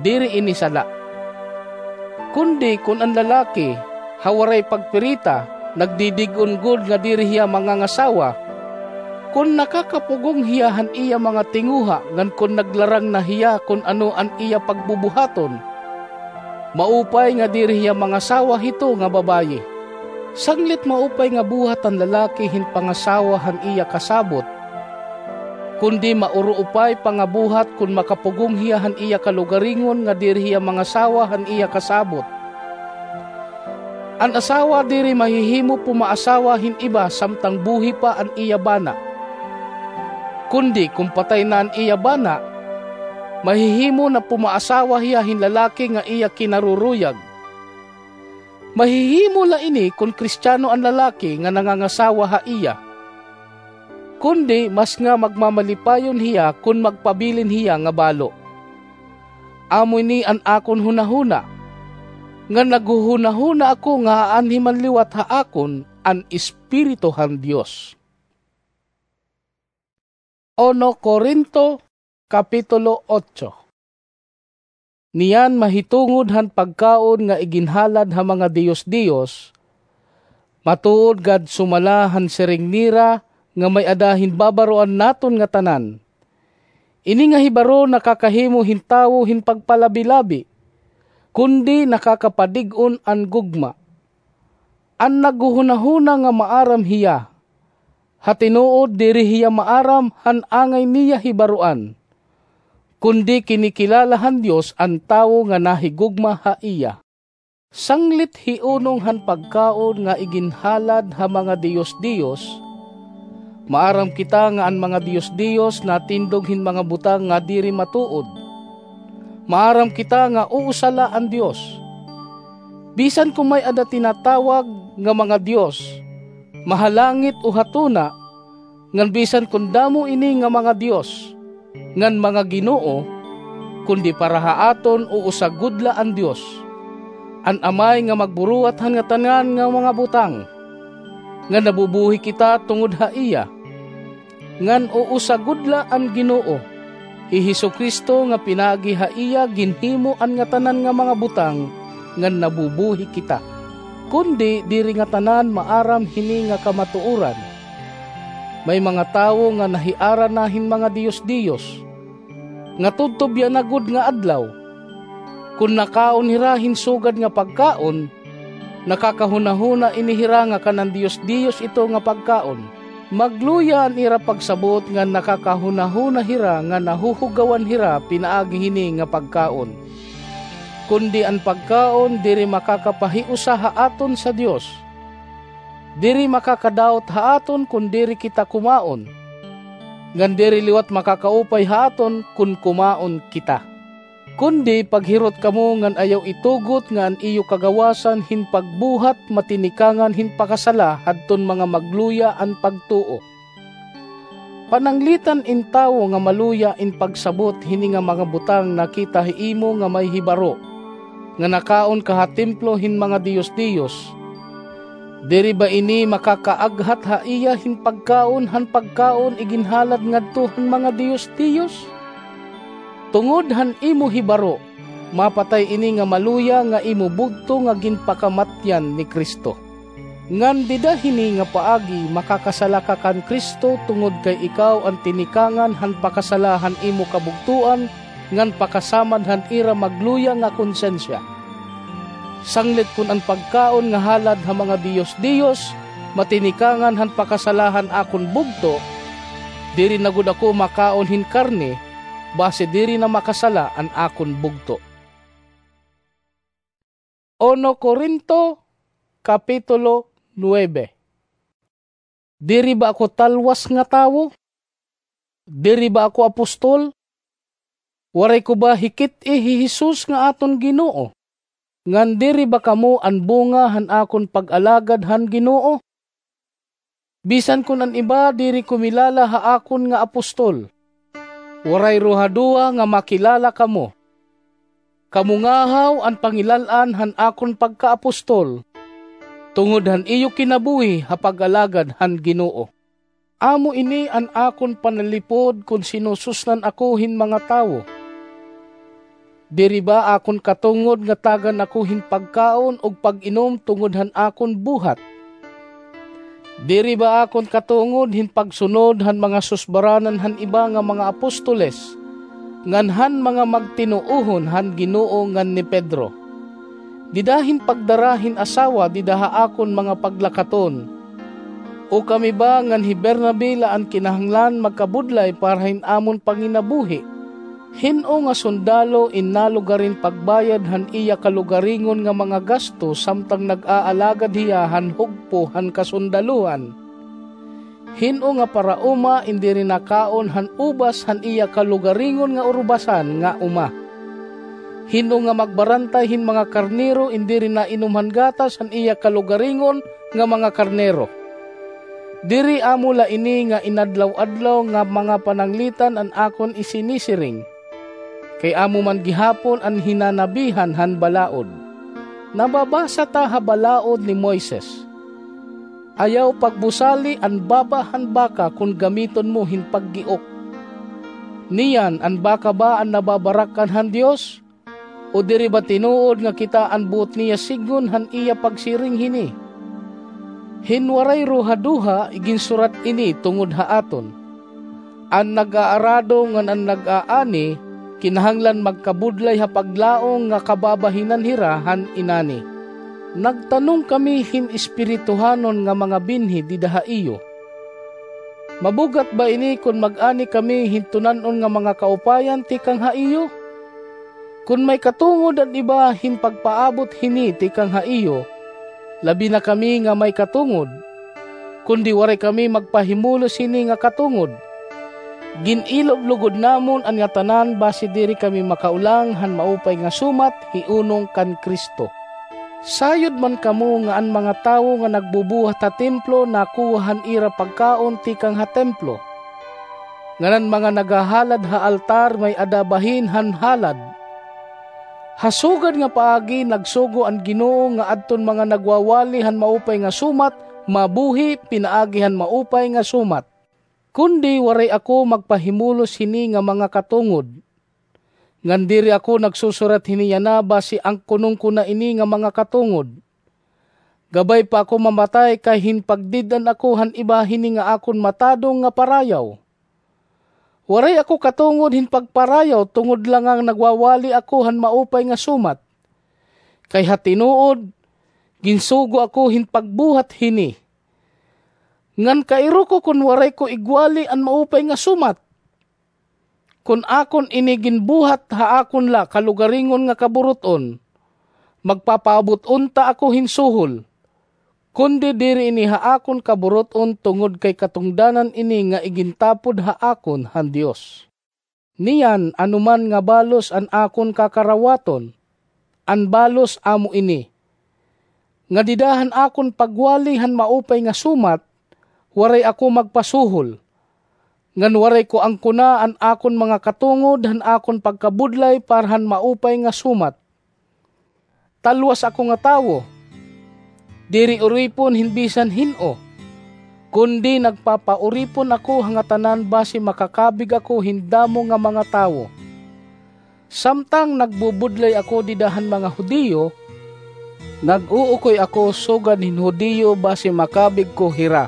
diri ini sala. Kundi kon an lalaki, ha waray pagpirita, nagdidig-on gud nga diri hiya mangangasawa, kon nakakapugong hiya han iya mga tinguha ngan kon naglarang na hiya kon ano an iya pagbubuhaton, maupay nga diri hiya mangasawa hito nga babayi. Sanglit maupay nga buhat han lalaki hin pangasawa han iya kasabot, kundi mauruupay pa nga buhat kon makapugong hiya han iya kalugaringon nga diri hiya mangasawa han iya kasabot. An asawa diri mahihimo pumaasawa hin iba samtang buhi pa an iya bana. Kundi kon patay na an iya bana, mahihimo na pumaasawa hiya hin lalaki nga iya kinaruruyag. Mahihimo la ini kon Kristiano an lalaki nga nangangasawa ha iya. Kundi mas nga magmamalipayon hiya kon magpabilin hiya nga balo. Amo ini an akon hunahuna, ngan naghuhunahuna ako nga aanhi man liwat ha akon an Espiritu han Dios. Uno Corinto, Kapitulo otso. Niyan mahitungod han pagkaon nga iginhalad ha mga diyos-diyos, matuod gad sumala han siring nira nga may-ada hin babaroan naton ngatanan. Ini nga hibaro nakakahimo hin tawo hin pagpalabi-labi, kundi nakakapadig-on an gugma. An naghuhunahuna nga maaram hiya, ha tinuod diri hiya maaram han angay niya hibaroan, kundi kinikilala han Dios an tawo nga nahigugma ha iya. Sanglit hiunong han pagkaon nga iginhalad ha mga diyos-diyos, maaram kita nga an mga diyos-diyos natindog hin mga butang nga diri matuod. Maaram kita nga usa la an Dios. Bisan kon may-ada tinatawag nga mga dios, mahalangit o ha tuna, ngan bisan kon damo ini nga mga dios ngan mga ginoo, kundi para ha aton usa gud la an Dios, an Amay nga magburuhat han ngatanan nga mga butang, ngan nabubuhi kita tungod ha iya. Ngan usa gud la an Ginoo, Hi Jesu-Cristo nga pinaagi ha iya ginhimo an ngatanan nga mga butang ngan nabubuhi kita. Kundi diri ngatanan maaram hini nga kamatuoran. May mga tawo nga nahiara na hin mga diyos-diyos, nga tudtob yana gud nga adlaw. Kon nakaon hira hin sugad nga pagkaon, nakakahunahuna ini hira nga kanan diyos-diyos ito nga pagkaon. Magluya an ira pagsabot ngan nakakahunahuna hira nga nahuhugawan hira pinaagi hini nga pagkaon. Kundi an pagkaon diri makakapahiusa ha aton sa Dios. Diri makakadawot ha aton kon diri kita kumaon, ngan diri liwat makakaupay ha aton kon kumaon kita. Kundi paghirot kamo ngan ayaw itugot nga an iyo kagawasan hin pagbuhat matinikangan hin pakasala hadton mga magluya an pagtuo. Pananglitan in tawo nga maluya in pagsabot hini nga mga butang nakita hi imo nga may hibaro, nga nakaon ka ha templo hin mga diyos-diyos. Diri ba ini makakaaghat ha iya hin pagkaon han pagkaon iginhalad ngadto han mga diyos-diyos? Tungod han imo hibaro, mapatay ini nga maluya nga imo bugto nga ginpakamatyan ni Cristo. Ngan dida hini nga paagi makakasala ka kan Cristo tungod kay ikaw an tinikangan han pakasala han imo kabugtoan ngan pakasamad han ira magluya nga konsensya. Sanglit kon an pagkaon nga halad ha mga diyos-diyos matinikangan han pakasala han akon bugto, diri na gud ako makaon hin karne, basi diri na makasala an akon bugto. Uno Corinto, Kapitulo nuebe. Diri ba ako talwas nga tawo? Diri ba ako apostol? Waray ko ba hikit-i hi Jesus nga aton Ginoo? Ngan diri ba kamo an bunga han akon pag-alagad han Ginoo? Bisan kon an iba diri kumilala ha akon nga apostol, waray ruhaduha nga makilala kamo. Kamo ngahaw an pangilal-an han akon pagkaapostol, tungod han iyo kinabuhi ha pag-alagad han Ginoo. Amo ini an akon panalipod kon sinususnan ako hin mga tawo. Diri ba akon katungod nga tagan ako hin pagkaon ug pag-inom tungod han akon buhat? Diri ba akon katungod hin pagsunod han mga susbaranan han iba nga mga apostoles, ngan han mga magtinuohon han Ginoo ngan ni Pedro? Dida hin pagdara hin asawa dida ha akon mga paglakaton. O kami ba ngan hi Bernabe la an kinahanglan magkabudlay para hin amon panginabuhi? Hin-o nga sundalo in nalugarin pagbayad han iya kalugaringon nga mga gasto samtang nag-aalagad hiya han hugpo han kasundalohan? Hin-o nga parauma in diri nakaon han ubas han iya kalugaringon nga urubasan nga uma? Hin-o nga magbarantay hin mga karnero in diri nainom han gatas han iya kalugaringon nga mga karnero? Diri amo la ini nga inadlaw-adlaw nga mga pananglitan an akon isinisiring? Kay amo man gihapon an hinanabihan han balaod. Nababasa ta ha balaod ni Moises, "Ayaw pagbusali an baba han baka kon gamiton mo hin paggiok." Niyan, an baka ba an nababarak-an han Dios? O diri ba tinuod nga kita an buot niya sidngon han iya pagsiring hini? Hin waray ruhaduha, iginsurat ini tungod ha aton. An nag-aarado ngan an nag-aani kinahanglan magkabudlay ha paglaom nga kababahinan hira han inani. Nagtanong kami hin espirituhanon nga mga binhi dida ha iyo. Mabug-at ba ini kon mag-ani kami hin tunan-on nga mga kaupayan tikang ha iyo? Kon may katungod an iba hin pagpaabot hini tikang ha iyo, labi na kami nga may katungod, kundi waray kami magpahimulos hini nga katungod. Gin-ilob lugod namon an ngatanan basi diri kami makaulang han maupay nga sumat hiunong kan Cristo. Sayod man kamo nga an mga tawo nga nagbubuhat ha templo nakuha han ira pagkaon tikang ha templo, ngan an mga naghahalad ha altar may-ada bahin han halad. Ha sugad nga paagi nagsugo an Ginoo nga adton mga nagwawali han maupay nga sumat mabuhi pinaagi han maupay nga sumat. Kundi waray ako magpahimulos hini nga mga katungod. Ngan diri ako nagsusurat hini yana basi angkunon ko na ini nga mga katungod. Gabay pa ako mamatay kay hin pagdid-an ako han iba hini nga akon matadong nga parayaw. Waray ako katungod hin pagparayaw tungod la nga nagwawali ako han maupay nga sumat. Kay ha tinuod, ginsugo ako hin pagbuhat hini. Ngan kairo ko kon waray ko igwali an maupay nga sumat. Kon akon ini ginbuhat ha akon la kalugaringon nga kaburut-on, magpapaabot unta ako hin suhol. Kundi diri ini ha akon kaburut-on tungod kay katungdanan ini nga igintapod ha akon han Dios. Niyan, anoman nga balos an akon kakarawaton, an balos amo ini, nga dida han akon pagwali han maupay nga sumat, waray ako magpasuhol, ngan waray ko angkona an akon mga katungod han akon pagkabudlay para han maupay nga sumat. Talwas ako nga tawo, diri uripon hin bisan hin-o, kundi nagpapauripon ako ha ngatanan basi makakabig ako hin damo nga mga tawo. Samtang nagbubudlay ako dida han mga Judio, nag-uukoy ako sugad hin Judio basi makabig ko hira.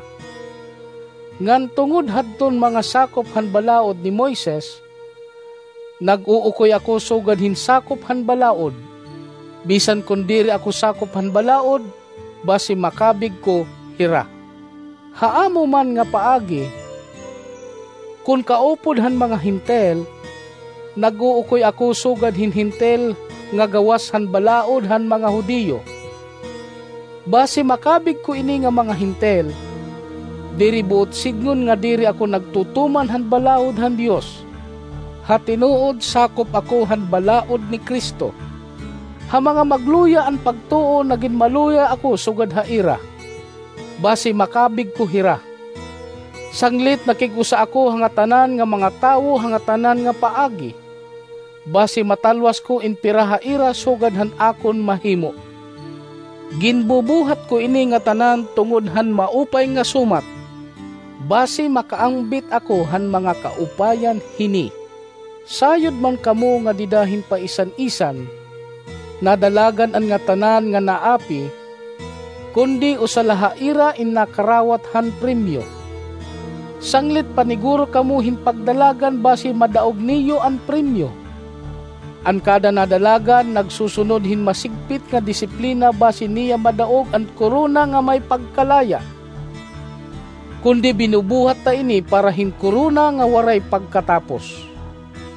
Ngan tungod hadton mga sakop han balaod ni Moises, nag-uukoy ako sugad hin sakop han balaod, bisan kon diri ako sakop han balaod, basi makabig ko hira. Ha amo man nga paagi, kon kaupod han mga Hentil, nag-uukoy ako sugad hin Hentil nga gawas han balaod han mga Judio. Basi makabig ko ini nga mga Hentil, diri buot sidngon nga diri ako nagtutuman han balaod han Dios. Ha tinuod, sakop ako han balaod ni Cristo. Ha mga magluya an pagtuo, nagin maluya ako sugad ha ira, basi makabig ko hira. Sanglit nakig-usa ako ha ngatanan nga mga tawo ha ngatanan nga paagi, basi matalwas ko in pira ha ira sugad han akon mahimo. Ginbubuhat ko ini ngatanan tungod han maupay nga sumat, basi makaangbit ako han mga kaupayan hini. Sayod man kamo nga dida hin paisan-isan, nadalagan an ngatanan nga naapi, kundi usa la ha ira in nakarawat han premyo. Sanglit paniguro kamo hin pagdalagan basi madaog niyo an premyo. An kada nadalagan nagsusunod hin masigpit nga disiplina basi niya madaog an korona nga may pagkalaya. Kundi binubuhat ta ini para hin korona nga waray pagkatapos.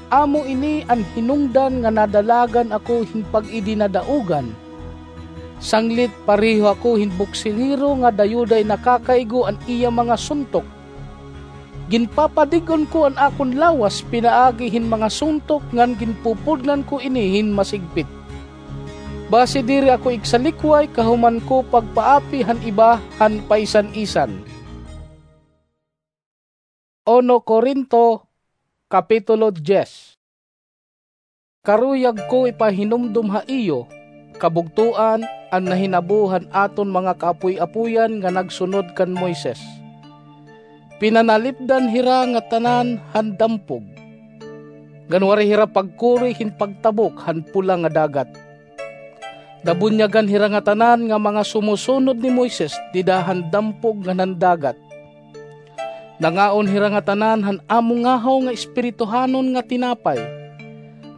Amo ini an hinungdan nga nadalagan ako hin pag-idinadaogan. Sanglit pareho ako hin boksingero nga dayuday nakakaigo an iya mga suntok. Ginpapadig-on ko an akon lawas pinaagi hin mga suntok ngan ginpupudnan ko ini hin masigpit. Basi diri ako igsalikway kahuman ko pagpaapi han iba han paisan-isan. Uno Corinto, Kapitulo diyes. Karuyag ko ipahinumdom ha iyo, kabugtoan, an nahinabo han aton mga kaapoy-apoyan nga nagsunod kan Moises. Pinanalipdan hira ngatanan han dampog, ngan waray hira pagkuri hin pagtabok han pula nga dagat. Nabunyagan hira ngatanan nga mga sumusunod ni Moises dida han dampog ngan han dagat. Nangaon hira ngatanan han amo ngahaw nga espirituhanon nga tinapay,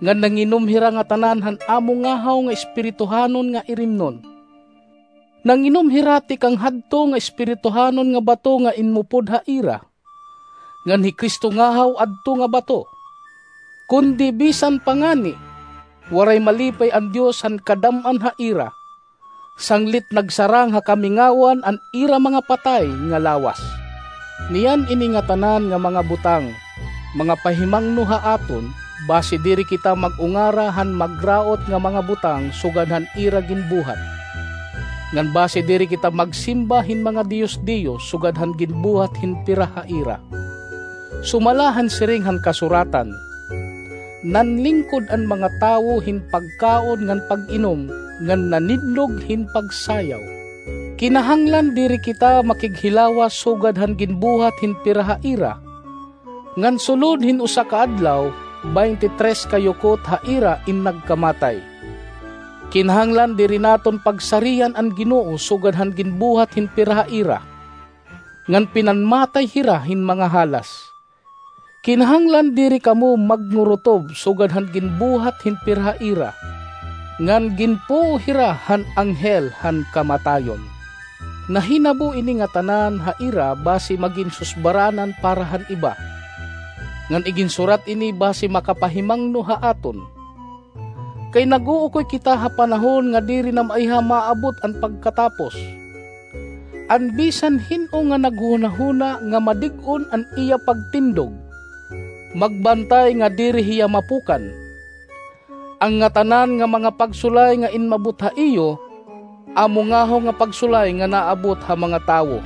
ngan nanginom hira ngatanan han amo ngahaw nga espirituhanon nga irimnon. Nanginom hira tikang hadto nga espirituhanon nga bato nga inmupod ha ira, ngan hi Cristo ngahaw adto nga bato. Kundi bisan pa ngani, waray malipay an Dios han kadam-an ha ira, sanglit nagsarang ha kamingawan an ira mga patay nga lawas. Niyan ini ngatanan nga mga butang, mga pahimangno ha aton, basi diri kita mag-ungara han magraot nga mga butang sugad han ira ginbuhat. Ngan basi diri kita magsimba hin mga diyos-diyos sugad han ginbuhat hin pira ha ira. Sumala han siring han kasuratan, "Nanlingkod an mga tawo hin pagkaon ngan pag-inom, ngan nanidlog hin pagsayaw." Kinahanglan diri kita makighilawas sugad han ginbuhat hin pira ha ira, Ngan sulod hin usa ka adlaw, baynte tres ka yukot ha ira in nagkamatay. Kinahanglan diri naton pagsarian an Ginoo sugad han ginbuhat hin pira ha ira, ngan pinanmatay hira hin mga halas. Kinahanglan diri kamo magnurutob sugad han ginbuhat hin pira ha ira, ngan ginpuo hira han anghel han kamatayon. Nahinabo ini ngatanan ha ira basi magin susbaranan para han iba, ngan iginsurat ini basi makapahimangno ha aton. Kay nag-uukoy kita ha panahon nga diri na maiha maabot an pagkatapos. An bisan hin-o nga naghunahuna nga madig-on an iya pagtindog, magbantay nga diri hiya mapukan. An ngatanan nga mga pagsulay nga inmabot ha iyo, amo ngahaw nga pagsulay nga naabot ha mga tawo.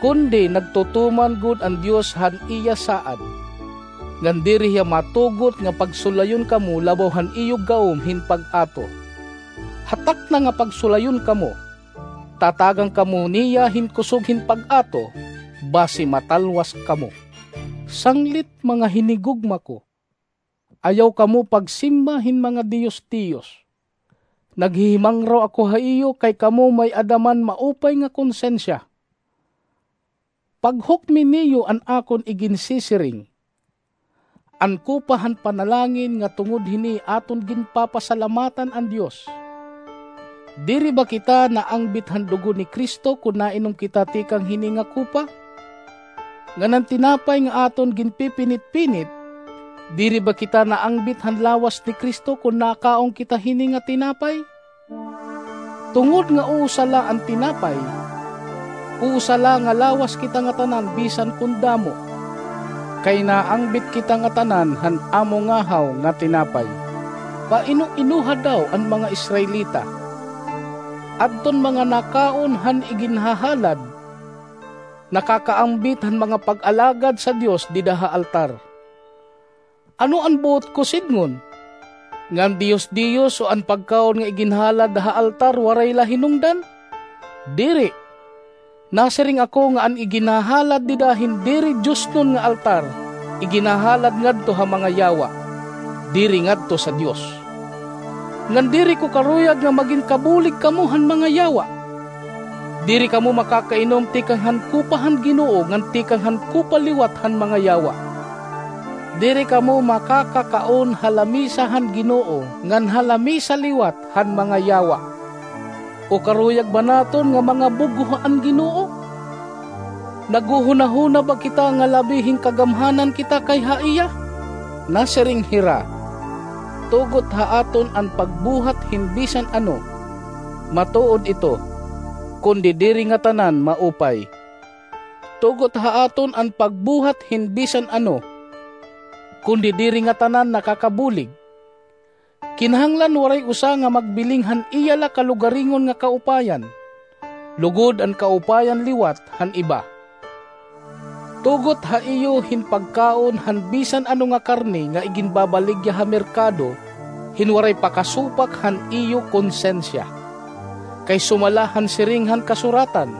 Kundi nagtutuman gud an Dios han iya saad, ngan diri hiya matugot nga pagsulayon kamo labaw han iyo gawom hin pag-ato. Ha takna nga pagsulayon kamo, tatagan kamo niya hin kusog hin pag-ato, basi matalwas kamo. Sanglit, mga hinigugma ko, ayaw kamo pagsimba hin mga diyos-diyos. Naghihimangraw ako ha iyo kay kamo may-ada man maupay nga konsensya. Paghukmi niyo an akon iginsisiring, an kupa han panalangin nga tungod hini aton ginpapasalamatan an Dios. Diri ba kita naangbit han dugo ni Cristo kon nainom kita tikang hini nga kupa? Ngan an tinapay nga aton ginpipinit-pinit, diri ba kita naangbit han lawas ni Cristo kon nakaon kita hini nga tinapay? Tungod nga usa la an tinapay, usa la nga lawas kita ngatanan bisan kon damo. Kay naangbit kita ngatanan han amo ngahaw nga tinapay. Paino-inoha daw an mga Israelita? Adton mga nakaon han iginhahalad, nakakaangbit han mga pag-alagad sa Dios dida ha altar. Ano an buot ko sidngon? Nga an diyos-diyos o an pagkaon nga iginhalad ha altar waray la hinungdan? Diri. Nasiring ako nga an iginhahalad dida hin diri diosnon nga altar, iginhahalad ngadto ha mga yawa, diri ngadto sa Dios. Ngan diri ko karuyag nga magin kabulig kamo han mga yawa. Diri kamo makakainom tikang han kupa han Ginoo ngan tikang han kupa liwat han mga yawa. Diri kamo makakakaon ha lamisa han Ginoo ngan ha lamisa liwat han mga yawa. O karuyag ba naton nga mga bug-o an Ginoo? Naghuhunahuna ba kita nga labi hin kagamhanan kita kay ha iya? Nasiring hira, tugot ha aton an pagbuhat hin bisan ano. Matuod ito, kundi diri ngatanan maupay. Tugot ha aton an pagbuhat hin bisan ano, kundi diri ngatanan nakakabulig. Kinahanglan waray usa nga magbiling han iya la kalugaringon nga kaupayan, lugod an kaupayan liwat han iba. Tugot ha iyo hin pagkaon han bisan ano nga karne nga iginbabaligya ha merkado, hin waray pakasupak han iyo konsensya. Kay sumala han siring han kasuratan,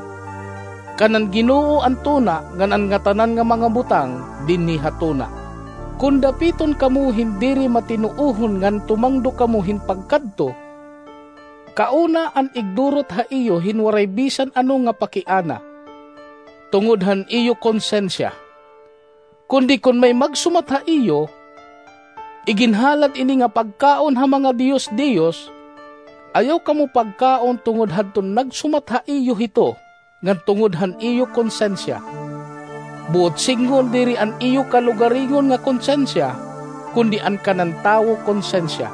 "Kan an Ginoo an tuna, ngan an ngatanan nga mga butang dinhi ha tuna." Kon dapiton kamo hin diri matinuohon ngan tumangdo kamo hin pagkadto, kauna an igdurot ha iyo hin waray bisan ano nga pakiana, tungod han iyo konsensya. Kundi kon may magsumat ha iyo, iginhalad ini nga pagkaon ha mga diyos-diyos, ayaw kamo pagkaon tungod hadton nagsumat ha iyo hito, ngan tungod han iyo konsensya. Buot sidngon diri an iyo kalugaringon nga konsensya, kundi an kanan tawo konsensya.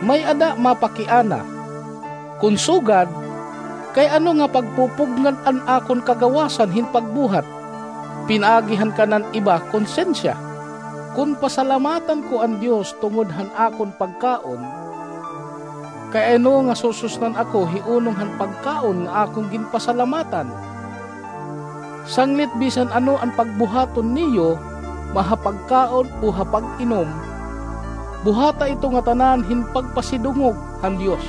May-ada mapakiana. Kon sugad, kay ano nga pagpupugngan an akon kagawasan hin pagbuhat, pinaagi han kanan iba konsensya? Kon pasalamatan ko an Dios tungod han akon pagkaon, kay ano nga sususnan ako hiunong han pagkaon nga akon ginpasalamatan? Sanglit bisan ano an pagbuhaton niyo, maha pagkaon o ha pag-inom, buhata ito ngatanan hin pagpasidungog han Dios.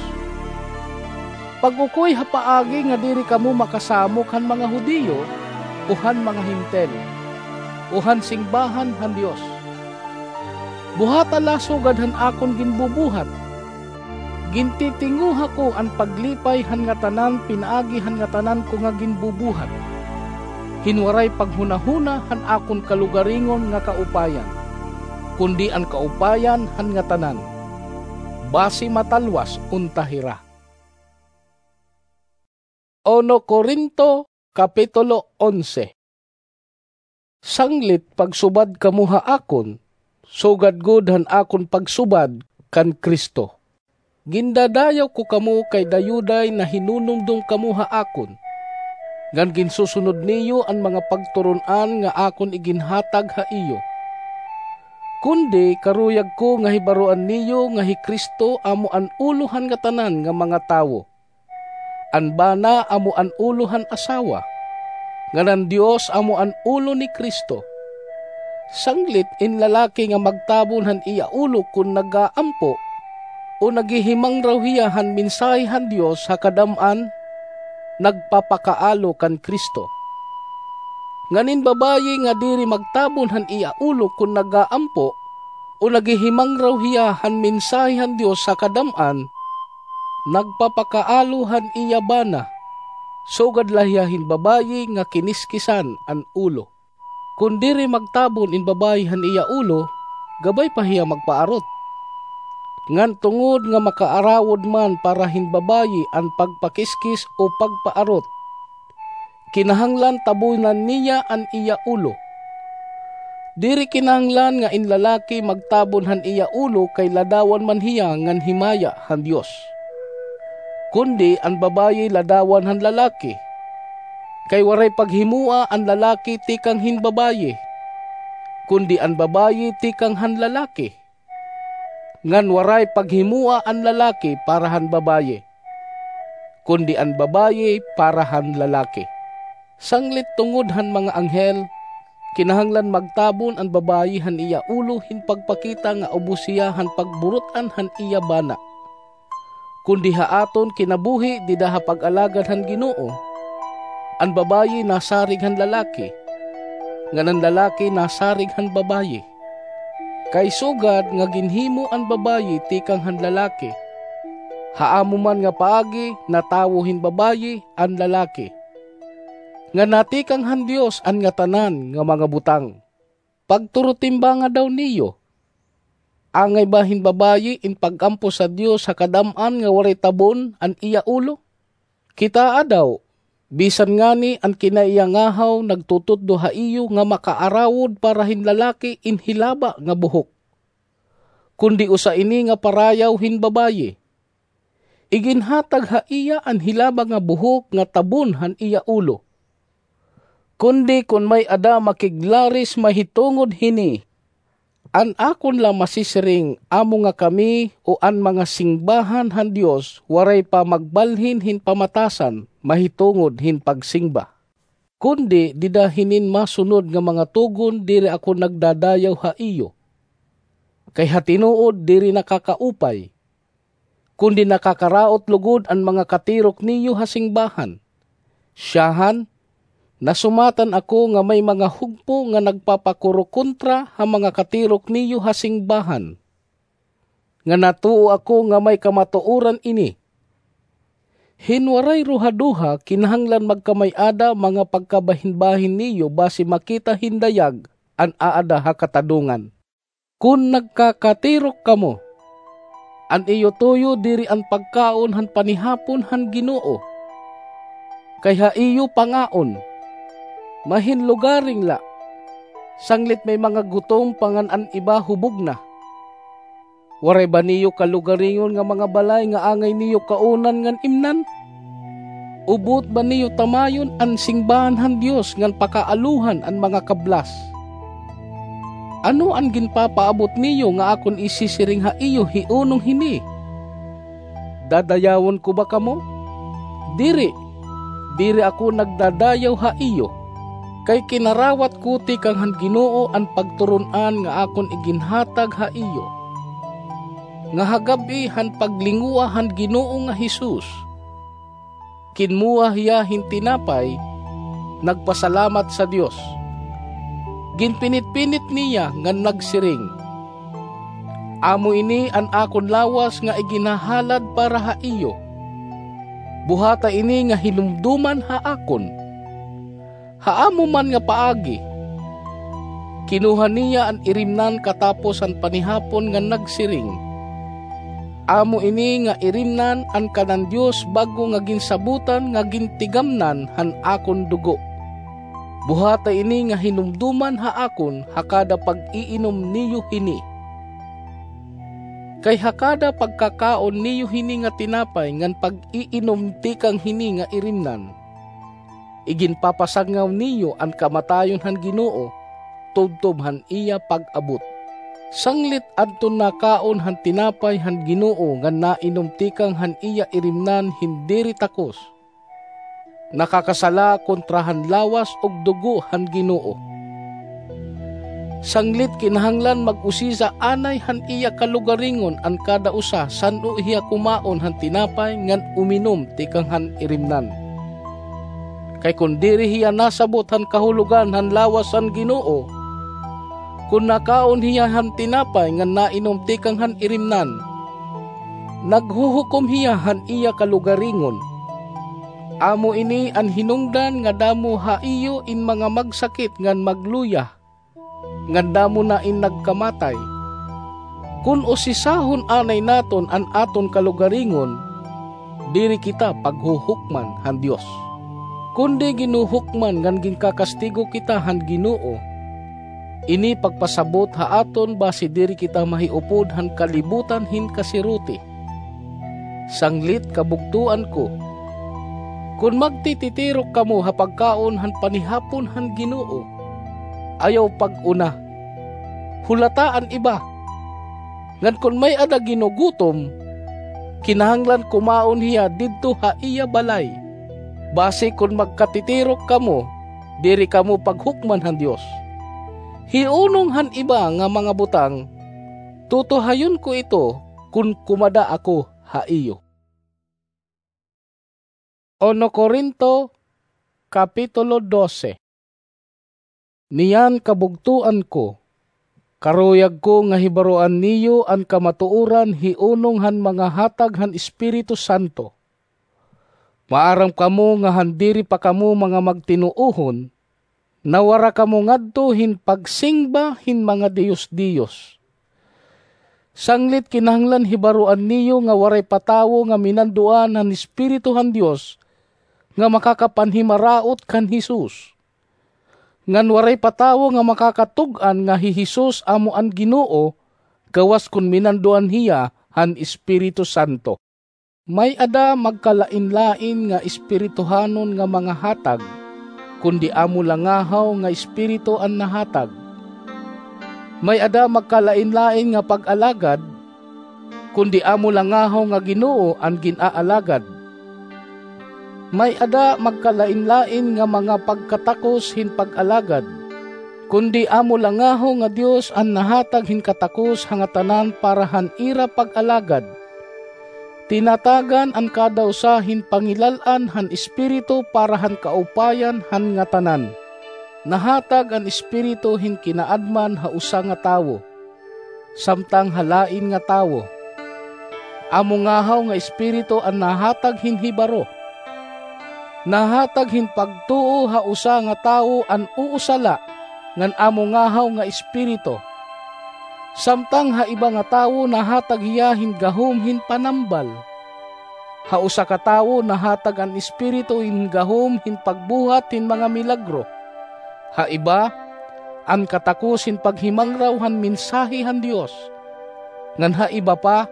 Pag-ukoy ha paagi nga diri kamo makasamok han mga Judio o han mga Hentil. o han singbahan han Dios. Buhata la sugad han akon ginbubuhat. Gintitinguha ko an paglipay han ngatanan pinaagi han ngatanan ko nga ginbubuhat, hin waray paghunahuna han akon kalugaringon nga kaupayan, kundi an kaupayan han ngatanan, basi matalwas unta hira. Uno Corinto, Kapitulo onse. Sanglit pagsubad kamo ha akon, sugad gud han akon pagsubad kan Cristo. Gindadayaw ko kamo kay dayuday nahinunumdom kamo ha akon, ngan ginsusunod niyo an mga pagturon-an nga akon iginhatag ha iyo. Kundi karuyag ko nga hibaroan niyo nga hi Cristo amo an ulo han ngatanan nga mga tawo. An bana amo an ulo han asawa, ngan an Dios amo an ulo ni Cristo. Sanglit in lalaki nga magtabon han iya ulo kon nag-aampo o naghihimangraw hiya han mensahe han Dios ha kadam-an, nagpapakaalo kan Cristo. Ngan in babaye nga diri magtabon han iya ulo kon nag-aampo o naghihimangraw hiya han mensahe han Dios ha kadam-an, nagpapakaalo han iya bana, sugad la hiya hin babaye nga kiniskisan an ulo. Kon diri magtabon in babaye han iya ulo, gabay pa hiya magpaarot. Ngan tungod nga makaarawod man para hin babaye an pagpakiskis o pagpaarot, kinahanglan tabonan niya an iya ulo. Diri kinahanglan nga in lalaki magtabon han iya ulo kay ladawan man hiya ngan himaya han Dios. Kundi an babaye ladawan han lalaki, kay waray paghimoa an lalaki tikang hin babaye, kundi an babaye tikang han lalaki. Ngan waray paghimoa an lalaki para han babaye, kundi an babaye para han lalaki. Sanglit tungod han mga anghel, kinahanglan magtabon an babaye han iya ulo hin pagpakita nga ubos hiya han pagburut-an han iya bana. Kundi ha aton kinabuhi dida ha pag-alagad han Ginoo, an babaye nasarig han lalaki, ngan an lalaki nasarig han babaye. Kay sugad nga ginhimo an babaye tikang han lalaki, ha amo man nga paagi natawo hin babaye an lalaki, nga natikang han Dios an ngatanan nga mga butang. Pagturotimbanga daw niyo, angay ba hin babaye in pag-ampo sa Dios ha kadam-an nga waray tabon an iya ulo? Kitaa daw, bisan ngani an kinaiyangahaw nagtututdo ha iyo nga makaarawod para hin lalaki in hilaba nga buhok. Kundi usa ini nga parayaw hin babaye. Iginhatag ha iya an hilaba nga buhok nga tabon han iya ulo. Kundi kon may-ada makiglaris mahitungod hini, an akon la masisiring amo nga kami o an mga singbahan han Dios waray pa magbalhin hin pamatasan mahitungod hin pagsingba. Kundi dida hinin masunod nga mga tugon diri ako nagdadayaw ha iyo. Kay ha tinuod diri nakakaupay, kundi nakakaraot lugod an mga katirok niyo ha singbahan. Siyahan, nasumatan ako nga may mga hugpo nga nagpapakurokontra ha mga katirok niyo ha singbahan, nga natuo ako nga may kamatuoran ini. Hin waray ruhaduha, kinahanglan magkamay-ada mga pagkabahinbahin niyo basi makita hin dayag an aada ha katadongan. Kon nagkakatirok kamo, an iyo tuyo diri an pagkaon han panihapon han Ginoo, kay ha iyo pangaon, mahinlugaring la, sanglit may mga gutom pa ngan an iba hubog na. Waray ba niyo kalugaringon nga mga balay nga angay niyo kaunan ngan imnan? O buot ba niyo tamayon an singbahan han Dios ngan pakaalohan an mga kablas? Ano an ginpapaabot niyo nga akon isisiring ha iyo hiunong hini? Dadayawon ko ba kamo? Diri, diri ako nagdadayaw ha iyo, kay kinarawat ko tikang han Ginoo an pagturon-an nga akon iginhatag ha iyo, nga ha gab-i han paglingoa han Ginoo nga Jesus, kinmoa hiya hin tinapay, nagpasalamat sa Dios, Ginpinitpinit niya ngan nagsiring, "Amo ini an akon lawas nga iginhahalad para ha iyo. Buhata ini nga hinumdoman ha akon." Ha amo man nga paagi, kinuha niya an irimnan katapos han panihapon ngan nagsiring, "Amo ini nga irimnan an kanan Dios bag-o nga ginsabotan nga gintigamnan han akon dugo. Buhata ini nga hinumdoman ha akon ha kada pag-iinom niyo hini. Kay ha kada pagkakaon niyo hini nga tinapay ngan pag-iinom tikang hini nga irimnan, iginpapasangaw niyo an kamatayon han Ginoo tubtob han iya pag-abot." Sanglit adton nakaon han tinapay han Ginoo ngan nainom tikang han iya irimnan hin diri takos, nakakasala kontra han lawas ug dugo han Ginoo. Sanglit kinahanglan mag-usisa anay han iya kalugaringon an kada usa san-o hiya kumaon han tinapay ngan uminom tikang han irimnan. Kay kon diri hiya nasabot han kahulogan han lawas han Ginoo, kon nakaon hiya han tinapay ngan nainom tikang han irimnan, naghuhukom hiya han iya kalugaringon. Amo ini an hinungdan nga damo ha iyo in mga magsakit ngan magluya, ngan damo na in nagkamatay. Kon usisahon anay naton an aton kalugaringon, diri kita paghuhukman han Dios. Kundi ginhuhukman ngan ginkakastigo kita han Ginoo. Ini pagpasabot ha aton basi diri kita mahiupod han kalibutan hin kasiruti. Sanglit kabugtoan ko, kon magtititirok kamo ha pagkaon han panihapon han Ginoo, ayaw pag-una. Hulata an iba. Ngan kon may-ada ginugutom, kinahanglan kumaon hiya didto ha iya balay. Basi kon magkatitirok kamo, diri kamo paghukman han Dios. Hiunong han iba nga mga butang, tutuhayon ko ito kon kumada ako ha iyo. Uno Corinto, Kapitulo dose. Niyan kabugtoan ko, karuyag ko nga hibaroan niyo an kamatuoran hiunong han mga hatag han Espiritu Santo. Maaram kamo nga han diri pa kamo mga magtinuohon, nawara kamo ngadto hin pagsingba hin mga diyos-diyos. Sanglit kinahanglan hibaroan niyo nga waray pa tawo nga minanduan han Espiritu han Dios nga makakapanhimaraot kan Jesus. Ngan waray pa tawo nga makakatug-an nga hi Jesus amo an Ginoo, gawas kon minanduan hiya han Espiritu Santo. May-ada magkalainlain nga espirituhanon nga mga hatag, kundi amo la ngahaw nga Espiritu an nahatag. May-ada magkalainlain nga pag-alagad, kundi amo la ngahaw nga Ginoo an gin-aalagad. May-ada magkalainlain nga mga pagkatakos hin pag-alagad, kundi amo la ngahaw nga Dios an nahatag hin katakos ha ngatanan para han ira pag-alagad. Tinatagan an kada usa hin pangilal-an han Espiritu para han kaupayan han ngatanan. Nahatag an Espiritu hin kinaadman ha usa nga tawo, samtang ha lain nga tawo. Amo ngahaw nga Espiritu an nahatag hin hibaro. Nahatag hin pagtuo ha usa nga tawo an usa la, ngan amo ngahaw nga Espiritu. Samtang ha iba nga tawo nahatag hiya hin gahom hin panambal. Ha usa ka tawo nahatag an Espiritu hin gahom hin pagbuhat hin mga milagro. Ha iba, an katakos hin paghimangraw han mensahe han Dios. Ngan ha iba pa,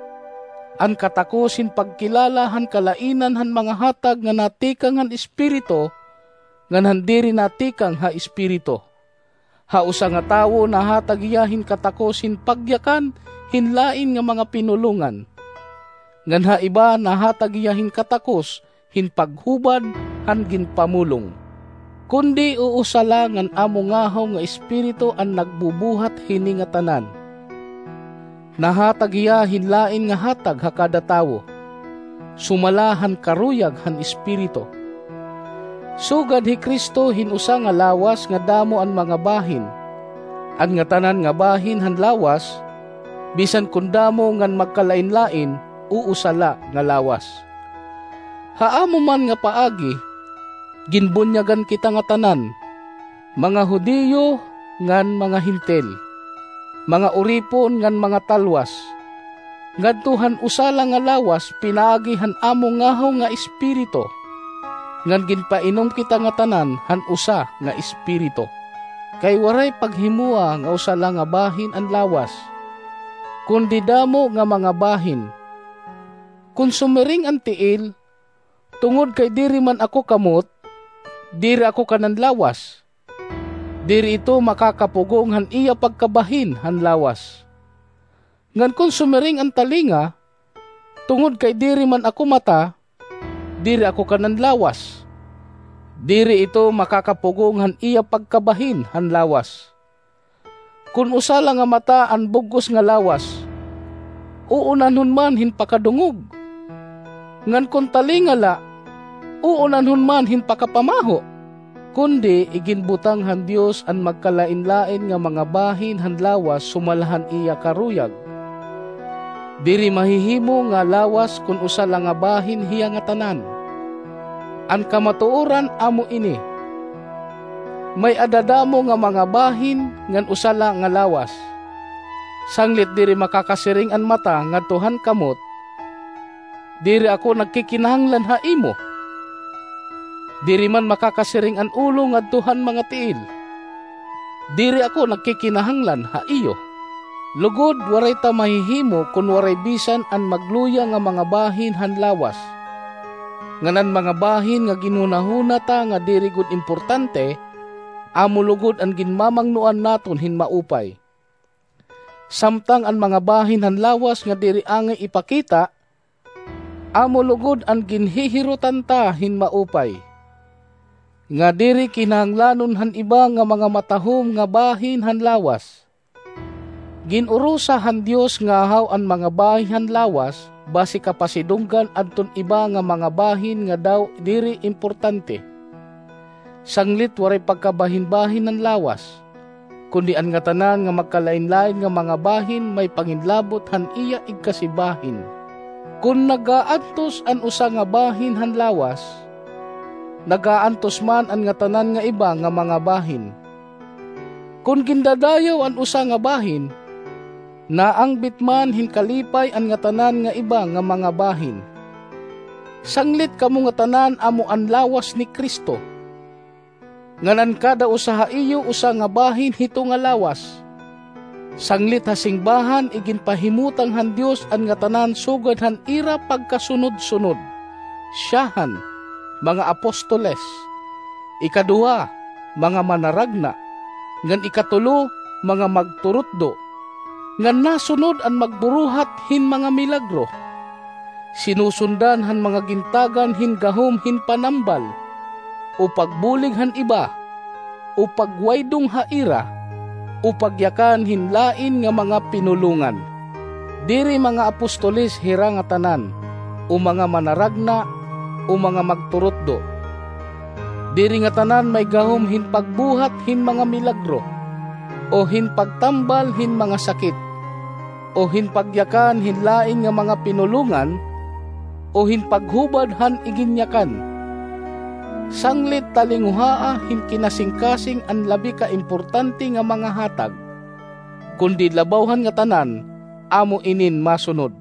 an katakos hin pagkilala han kalainan han mga hatag nga natikang han Espiritu ngan han diri natikang ha Espiritu. Ha usa nga tawo nahatag hiya hin katakos hin pagyakan hin lain nga mga pinulongan. Ngan ha iba nahatag hiya hin katakos hin paghubad han ginpamulong. Kundi uusa la ngan amo ngahaw nga Espiritu an nagbubuhat hini ngatanan. Nahatag hiya hin lain nga hatag ha kada tawo, sumala han karuyag han Espiritu. Sugad hi Cristo hin usa nga lawas nga damo an mga bahin, an ngatanan nga bahin han lawas, bisan kon damo ngan magkalainlain, o usa la nga lawas. Ha amo man nga paagi, ginbunyagan kita ngatanan, mga Judio ngan mga Hentil, mga uripon ngan mga talwas, ngadto han usa la nga lawas pinaagi han amo ngahaw nga Espiritu, ngan ginpainom kita ngatanan han usa nga Espiritu. Kay waray paghimoa nga usa la nga bahin an lawas, kundi damo nga mga bahin. Kon sumiring an tiil, "Tungod kay diri man ako kamot, diri ako kanan lawas," diri ito makakapugong han iya pagkabahin han lawas. Ngan kon sumiring an talinga, "Tungod kay diri man ako mata, diri ako kanan lawas," diri ito makakapugong han iya pagkabahin han lawas. Kon usa la nga mata an bug-os nga lawas, uunanhon man hin pakadungog. Ngan kon talinga la, uunanhon man hin pakapamaho. Kundi iginbutang han Dios an magkalainlain nga mga bahin han lawas sumala han iya karuyag. Diri mahihimo nga lawas kon usa la nga bahin hiya ngatanan. An kamatuoran amo ini: may-ada damo nga mga bahin ngan usa la nga lawas. Sanglit diri makakasiring an mata ngadto han kamot, "Diri ako nagkikinahanglan ha imo." Diri man makakasiring an ulo ngadto han mga tiil, "Diri ako nagkikinahanglan ha iyo." Lugod, waray ta mahihimo kon waray bisan an magluya nga mga bahin han lawas. Ngan an mga bahin nga ginhunahuna ta nga diri gud importante, amo lugod an ginmamangnoan naton hin maupay. Samtang an mga bahin han lawas nga diri angay ipakita, amo lugod an ginhihirutan ta hin maupay, nga diri kinahanglanon han iba nga mga matahom nga bahin han lawas. Gin-urosa han Dios ngahaw an mga bahin han lawas basi kapasidunggan adton iba nga mga bahin nga daw diri importante. Sanglit waray pagkabahinbahin han lawas, kundi an ngatanan nga magkalainlain nga mga bahin may panginlabot han iya igkasibahin. Kon nagaantos an usa nga bahin han lawas, nagaantos man an ngatanan nga iba nga mga bahin. Kon gindadayaw an usa nga bahin, naangbit man hin kalipay an ngatanan nga iba nga mga bahin. Sanglit kamo ngatanan amo an lawas ni Cristo. Ngan an kada usa ha iyo usa nga bahin hito nga lawas. Sanglit ha singbahan iginpahimutang han Dios an ngatanan sugad han ira pagkasunod-sunod. Syahan, mga apostoles. Ikaduha, mga manaragna. Ngan ikatulo, mga magturutdo. Ngan nasunod an magburuhat hin mga milagro. Sinusundan han mga gintagan hin gahom hin panambal, o pagbulig han iba, o pagwaydong ha ira, o pagyakan hin lain nga mga pinulongan. Diri mga apostoles hira ngatanan, o mga manaragna, o mga magturutdo. Diri ngatanan may gahom hin pagbuhat hin mga milagro, o hin pagtambal hin mga sakit, o hin pagyakan hin lain nga mga pinulongan, o hin paghubad han iginyakan. Sanglit talinguhaa hin kinasingkasing an labi ka importante nga mga hatag, kundi labaw han ngatanan, amo inin masunod.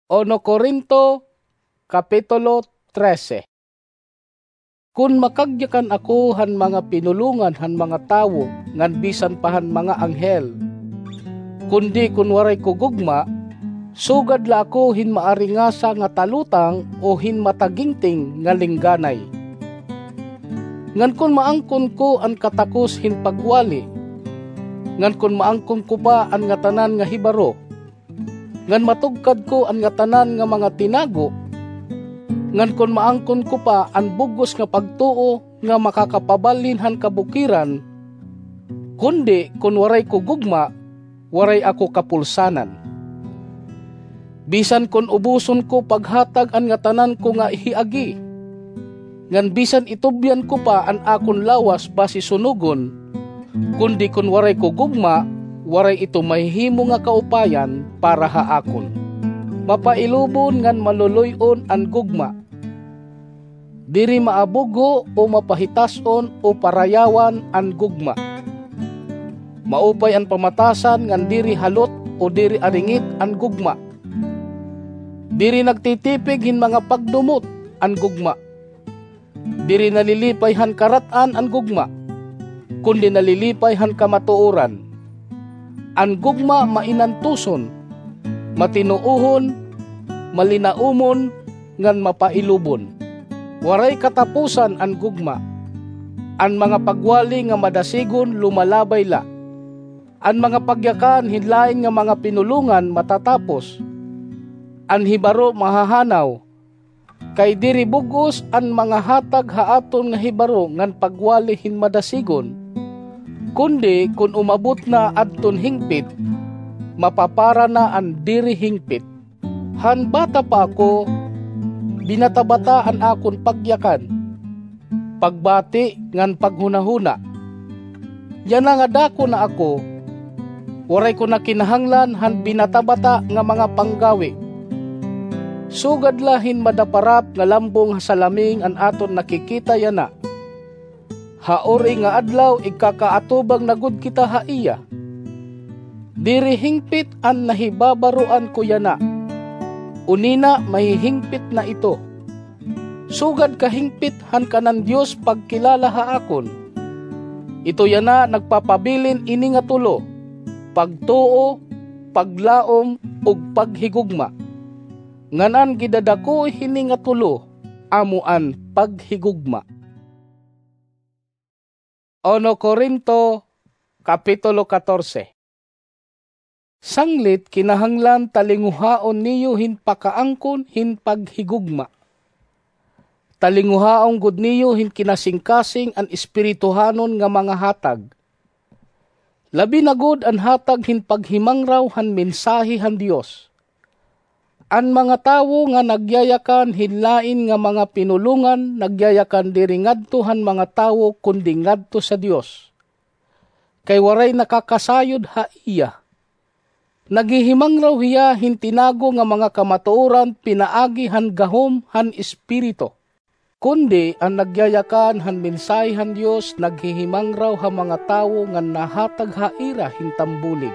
Uno Corinto, Kapitulo trese. Kon makagyakan ako han mga pinulongan han mga tawo ngan bisan pa han mga anghel, kundi kon waray ko gugma, sugad la ako hin maaringasa nga talutang o hin matagingting nga lingganay. Ngan kon maangkon ko an katakos hin pagwali, ngan kon maangkon ko pa an ngatanan nga hibaro, ngan matugkad ko an ngatanan nga mga tinago, ngan kon maangkon ko pa an bug-os nga pagtuo nga makakapabalhin han kabukiran, kundi kon waray ko gugma, waray ako kapulsanan. Bisan kon uboson ko paghatag an ngatanan ko nga hiagi, ngan bisan itubyan ko pa an akon lawas basi sunogon, Kundi kon waray ko gugma, waray ito mahihimo nga kaupayan para ha akon. Mapailubon ngan maluluy-on an gugma. Diri maabugho o mapahitas-on o parayawan an gugma. Maupay an pamatasan ngan diri halot o diri aringit an gugma. Diri nagtitipig hin mga pagdumot an gugma. Diri nalilipay han karat-an an gugma, kundi nalilipay han kamatuoran. An gugma mainantuson, matinuohon, malinaumon, ngan mapailubon. Waray katapusan an gugma. An mga pagwali nga madasigon lumalabay la. An mga pagyakan hin lain nga mga pinulongan matatapos. An hibaro mahahanaw, kay diri bug-os an mga hatag ha aton nga hibaro ngan pagwali hin madasigon, kundi kon umabot na adton hingpit, mapapara na an diri hingpit. Han bata pa ako, binata-bata an akon pagyakan, pagbati ngan paghunahuna. Yana nga dako na ako, waray ko na kinahanglan han binata-bata nga mga panggawi. Sugad la hin madaparap nga lambong ha salaming an aton nakikita yana. Ha uri nga adlaw igkakaatubang na gud kita ha iya. Diri hingpit an nahibabaroan ko yana. Unina mahihingpit na ito. Sugad kahingpit han kanan Dios pagkilala ha akon. Ito yana nagpapabilin ini nga tulo, pagtuo, paglaom, ug paghigugma. Ngan an gidadako hini nga tulo, amo an paghigugma. Uno Corinto, Kapitulo katorse. Sanglit kinahanglan talinguhaon niyo hin pakaangkon hin paghigugma. Talinguhaon gud niyo hin kinasingkasing an espirituhanon nga mga hatag. Labi na gud an hatag hin paghimangraw han mensahe han Dios. An mga tawo nga nagyayakan hin lain nga mga pinulongan nagyayakan diri ngadto han mga tawo kundi ngadto sa Dios. Kay waray nakakasayod ha iya. Naghihimangraw hiya hin tinago nga mga kamatuoran pinaagi han gahom han Espiritu. Kundi an nagyayakan han mensahe han Dios naghihimangraw ha mga tawo nga nahatag ha ira hin tambulig,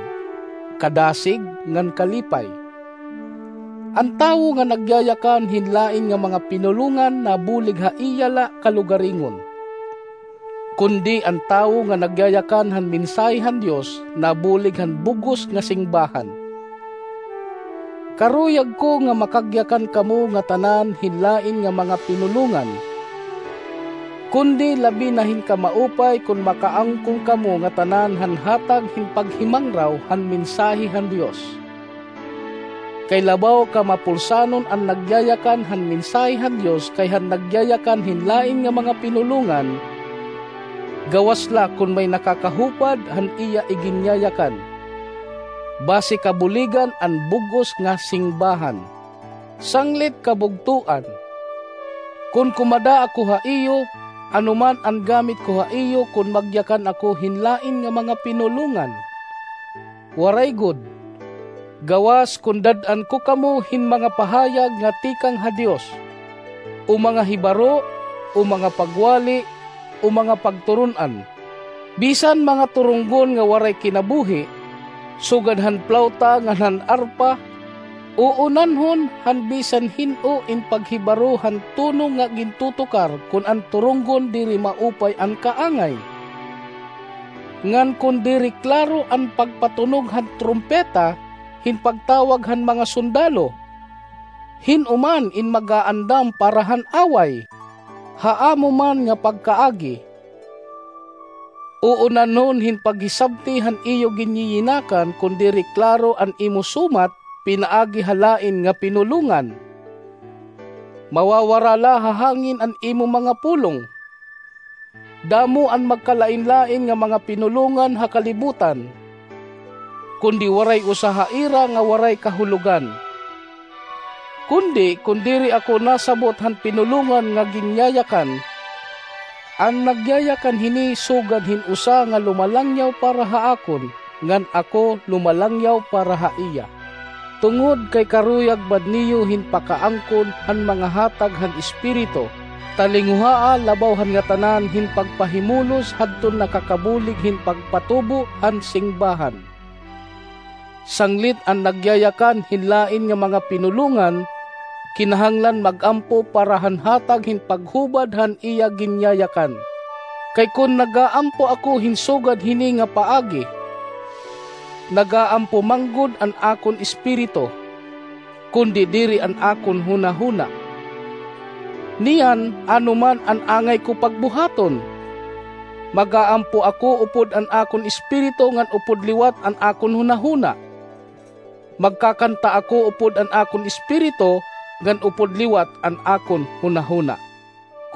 kadasig ngan kalipay. An tawo nga nagyayakan hin lain nga mga pinulongan nabulig ha iya la kalugaringon. Kundi an tawo nga nagyayakan han mensahe han Dios nabulig han bug-os nga singbahan. Karuyag ko nga makagyakan kamo ngatanan hin lain nga mga pinulongan, kundi labi na hin kamaupay kon makaangkon kamo ngatanan han hatag hin paghimangraw han mensahe han Dios. Kay labaw ka mapulsanon an nagyayakan han mensahe han Dios kay han nagyayakan hin lain nga mga pinulongan, gawas la kon may nakakahupad han iya iginyayakan. Basi kabuligan an bug-os nga singbahan. Sanglit kabugtoan. Kon kumada ako ha iyo, ano man an gamit ko ha iyo kon magyakan ako hin lain nga mga pinulongan? Waray gud. Gawas kon dad-an ko kamo hin mga pahayag nga tikang ha Dios, o mga hibaro, o mga pagwali, o mga pagturon-an. Bisan mga turunggon nga waray kinabuhi, sugad han plawta ngan han arpa, uunanhon han bisan hin-o in paghibaro han tono nga gintutukar kon an turunggon diri maupay an kaangay. Ngan kon diri klaro an pagpatunog han trumpeta hin pagtawag han mga sundalo, hin-o man in mag-aandam para han away, ha amo man nga pagkaagi. Uunanhon hin paghisabti han iyo ginyiyinakan kon diri klaro an imo sumat pinaagi ha lain nga pinulongan. Mawawara la ha hangin an imo mga pulong. Damo an magkalain-lain nga mga pinulongan ha kalibutan, kundi waray usa ha ira nga waray kahulogan. Kundi kon diri ako nasabot han pinulongan nga ginyayakan, An nagyayakan hini sugad hin usa nga lumalangyaw para ha akon, ngan ako lumalangyaw para ha iya. Tungod kay karuyag man niyo hin pakaangkon han mga hatag han Espiritu, talinguhaa labaw han ngatanan hin pagpahimulos hadton nakakabulig hin pagpatubo han singbahan. Sanglit an nagyayakan hin lain nga mga pinulongan, kinahanglan mag-ampo para han hatag hin paghubad han iya ginyayakan. Kay kon nagaampo ako hin sugad hini nga paagi, nagaampo man gud an akon espiritu, kundi diri an akon hunahuna. Niyan, ano man an angay ko pagbuhaton? Magaampo ako upod an akon espiritu ngan upod liwat an akon hunahuna. Magkakanta ako upod an akon espiritu ngan upod liwat an akon hunahuna.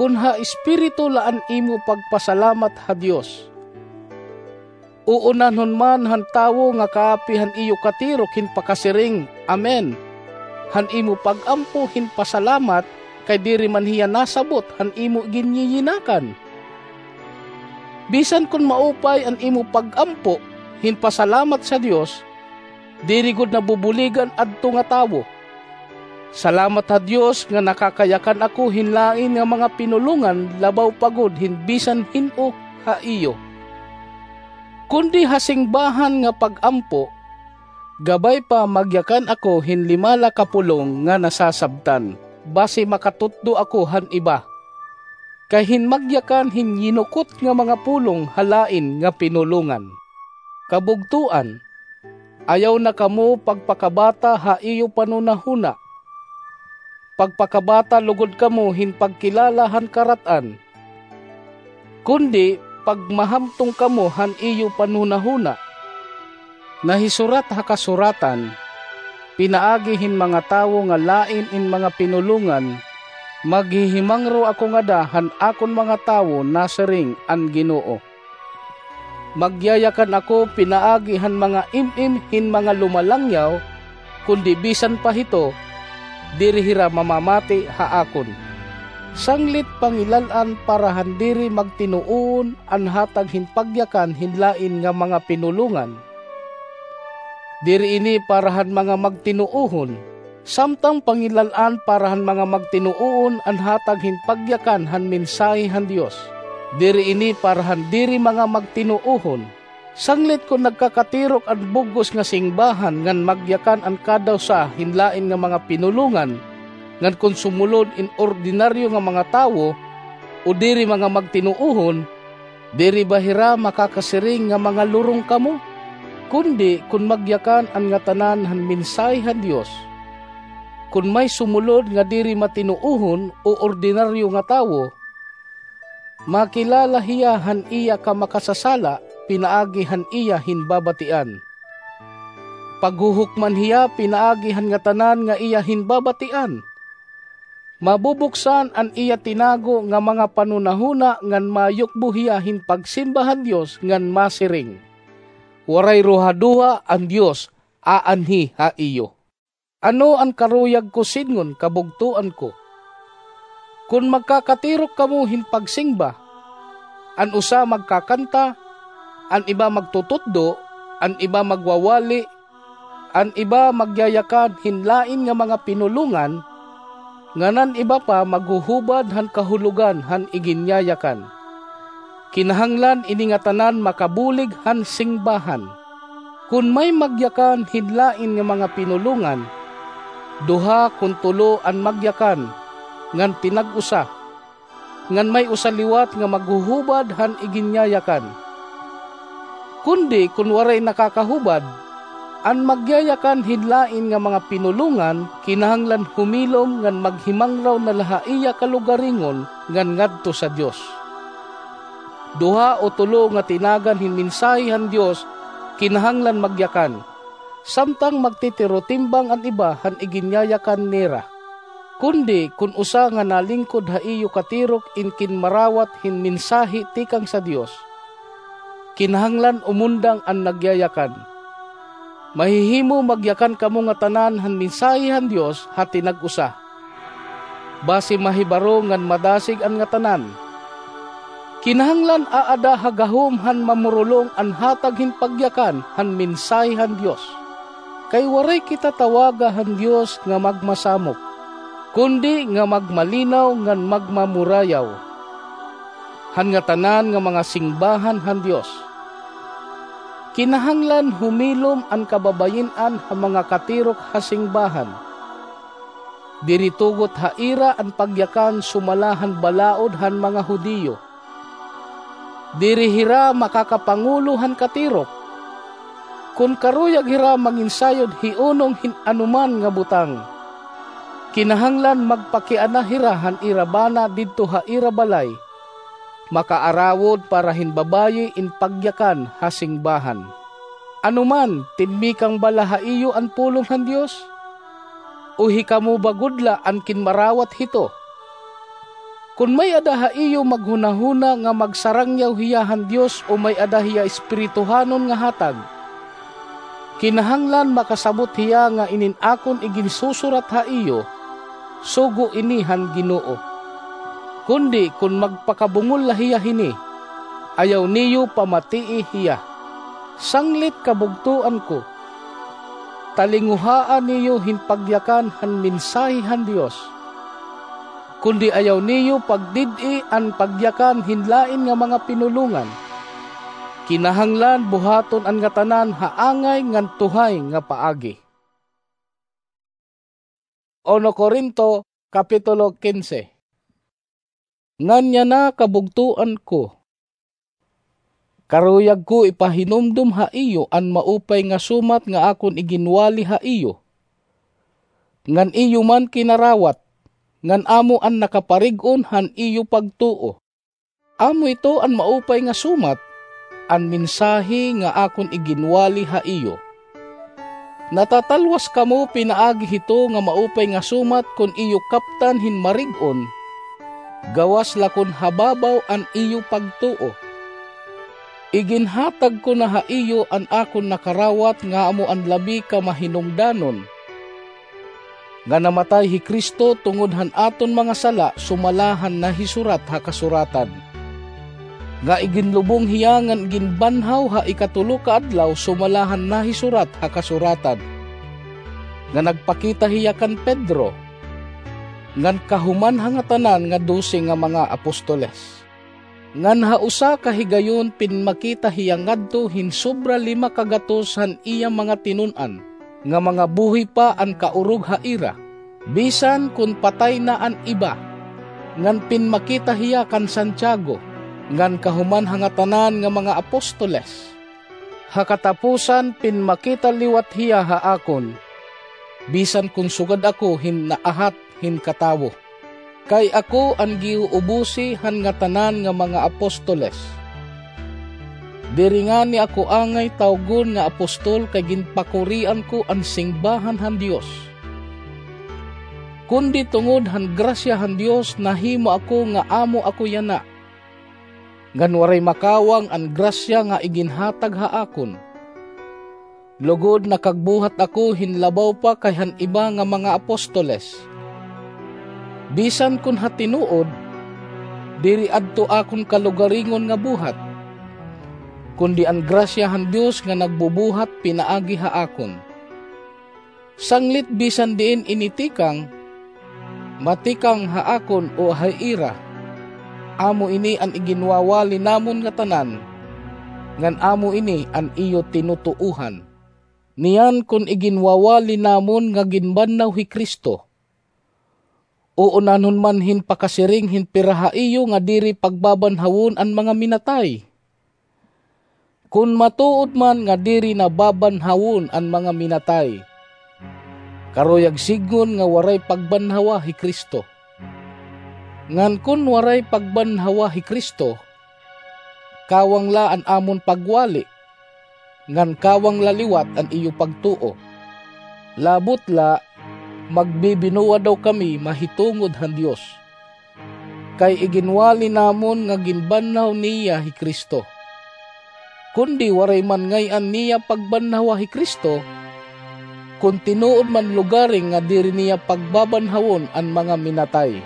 Kon ha espiritu la an imo pagpasalamat ha Dios, uunahon man han tawo nga kaapi han iyo katirok hin pakasiring, "Amen," han imo pag-ampo hin pasalamat, kay diri man hiya nasabot han imo ginyiyinakan. Bisan kon maupay an imo pag-ampo hin pasalamat sa Dios, diri gud nabubuligan adto nga tawo. Salamat ha Dios nga nakakayakan ako hin lain nga mga pinulongan labaw pa gud hin bisan hin-o ha iyo. Kundi ha singbahan nga pag-ampo, gabay pa magyakan ako hin lima la ka pulong nga nasasabtan, basi makatutdo ako han iba. Kay hin magyakan hin yinukot nga mga pulong ha lain nga pinulongan. Kabugtoan, ayaw na kamo pagpakabata ha iyo panhunahuna. Pagpakabata lugod kamo hin pagkilala han karat-an. Kundi pagmahamtong kamo han iyo panhunahuna. Nahisurat ha kasuratan, pinaagi hin mga tawo nga lain in mga pinulongan, maghihimangro ako ngada han akon mga tawo, nasiring an Ginoo. Magyayakan ako pinaagi han mga im-im hin mga lumalangyaw, kundi bisan pa hito, diri hira mamamati ha akon. Sanglit pangilal-an para han diri magtinuohon an hatag hin pagyakan hin lain nga mga pinulongan. Diri ini para han mga magtinuohon, samtang pangilal-an para han mga magtinuohon an hatag hin pagyakan han mensahe han Dios. Diri ini para han diri mga magtinuohon. Sanglit kon nagkakatirok an bug-os nga singbahan ngan magyakan an kada usa hin lain nga mga pinulongan, ngan kon sumulod in ordinaryo nga mga tawo, o diri mga magtinuohon, diri ba hira makakasiring nga mga lurong kamo? Kundi kon magyakan an ngatanan han mensahe han Dios, kon may sumulod nga diri matinuohon o ordinaryo nga tawo, makilala hiya han iya kamakasasala pinaagi han iya hinbabatian. Paghuhukman hiya pinaagi han ngatanan nga iya hinbabatian. Mabubuksan an iya tinago nga mga panhunahuna ngan mayukbo hiya hin pagsimba han Dios ngan masiring, "Waray ruhaduha an Dios aanhi ha iyo." Ano an karuyag ko sidngon, kabugtoan ko? Kon magkakatirok kamo hin pagsingba, an usa magkakanta, an iba magtututdo, an iba magwawali, an iba magyayakan hin lain nga mga pinulongan, ngan an iba pa maghuhubad han kahulogan han iginyayakan. Kinahanglan ini ngatanan makabulig han singbahan. Kon may magyakan hin lain nga mga pinulongan, duha kon tulo an magyakan, ngan tinag-usa, ngan may usa liwat nga maghuhubad han iginyayakan. Kundi kon waray nakakahubad, an magyayakan hin lain nga mga pinulongan kinahanglan humilom ngan maghimangraw na la ha iya kalugaringon ngan ngadto sa Dios. Duha o tulo nga tinagan hin mensahe han Dios kinahanglan magyakan, samtang magtitirotimbang an iba han iginyayakan nira. Kundi kon usa nga nalingkod ha iyo katirok in kinmarawat hin mensahe tikang sa Dios, kinahanglan umundang an nagyayakan. Mahihimo magyakan kamo ngatanan han mensahe han Dios ha tinag-usa. Basi mahibaro ngan madasig an ngatanan. Kinahanglan aada ha gahom han mamurulong an hatag hin pagyakan han mensahe han Dios. Kay waray kita tawaga han Dios nga magmasamok, kundi nga magmalinaw ngan magmamurayaw han ngatanan nga mga singbahan han Dios. Kinahanglan humilom an kababayin-an ha mga katirok ha singbahan. Diri tugot ha ira an pagyakan sumala han balaod han mga Judio. Diri hira makakapangulo han katirok. Kon karuyag hira manginsayod hiunong hin anoman nga butang, kinahanglan magpakiana hira han ira bana didto ha ira balay. Makaarawod para hin babayi in pagyakan ha singbahan. Ano man, tinmikang bala ha iyo an pulong han Dios? O hikamo ba gud la an kinmarawat hito? Kon may-ada ha iyo maghunahuna nga magsarangyaw hiya han Dios o may-ada hiya espirituhanon nga hatag, kinahanglan makasabot hiya nga inin akon iginsusurat ha iyo, sugo ini han Ginoo. Kundi kon magpakabungol la hiya hini, ayaw niyo pamatii hiya. Sanglit kabugtoan ko, talinguhaa niyo hin pagyakan han mensahe han Dios. Kundi ayaw niyo pagdid-i an pagyakan hin lain nga mga pinulongan. Kinahanglan buhaton an ngatanan ha angay ngan tuhay nga paagi. Uno Corinto, Kapitulo quince. Ngan yana, kabugtoan ko, karuyag ko ipahinumdom ha iyo an maupay nga sumat nga akon iginwali ha iyo, ngan iyo man kinarawat, ngan amo an nakaparig-on han iyo pagtuo. Amo ito an maupay nga sumat, an mensahe nga akon iginwali ha iyo. Natatalwas kamo pinaagi hito nga maupay nga sumat kon iyo kaptan hin marig-on, gawas la kon hababaw an iyo pagtuo. Iginhatag ko na ha iyo an akon nakarawat nga amo an labi ka mahinungdanon, nga namatay hi Cristo tungod han aton mga sala sumala han nahisurat ha Kasuratan, nga iginlubong hiya ngan iginbanhaw ha ikatulo ka adlaw sumala han nahisurat ha Kasuratan, nga nagpakita hiya kan Pedro, ngan kahuman ha ngatanan nga dose nga mga apostoles. Ngan ha usa ka higayon pinmakita hiya ngadto hin sobra lima ka gatos han iya mga tinun-an, nga mga buhi pa an kaurog ha ira, bisan kon patay na an iba. Ngan pinmakita hiya kan Santiago, ngan kahuman ha ngatanan nga mga apostoles. Ha katapusan, pinmakita liwat hiya ha akon, bisan kon sugad ako hin naahat hin katawo. Kay ako an giuubosi han ngatanan nga mga apostoles. Diri ngani ako angay tawgon nga apostol kay ginpakurian ko an singbahan han Dios. Kundi tungod han grasya han Dios nahimo ako nga amo ako yana. Ngan waray makawang an grasya nga iginhatag ha akon. Lugod nakagbuhat ako hin labaw pa kay han iba nga mga apostoles. Bisan kon ha tinuod, diri adto akon kalugaringon nga buhat, kundi an grasya han Dios nga nagbubuhat pinaagi ha akon. Sanglit bisan diin ini tikang, matikang ha akon o ha ira, amo ini an iginwawali namon ngatanan, ngan amo ini an iyo tinutuohan. Niyan kon iginwawali namon nga ginbanhaw hi Cristo, uunanhon man hin pakasiring hin pira ha iyo nga diri pagbabanhawon an mga minatay. Kon matuod man nga diri na babanhawon an mga minatay, karuyag sidngon nga waray pagbanhawa hi Cristo. Ngan kon waray pagbanhawa hi Cristo, kawang la an amon pagwali, ngan kawang la liwat an iyo pagtuo. Labot la, magbibinuwa daw kami mahitungod han Dios, kay iginwali namon nga ginbanhaw niya hi Cristo. Kundi waray man ngay-an niya pagbanhawa hi Cristo, kon tinuod man lugaring nga diri niya pagbabanhawon an mga minatay.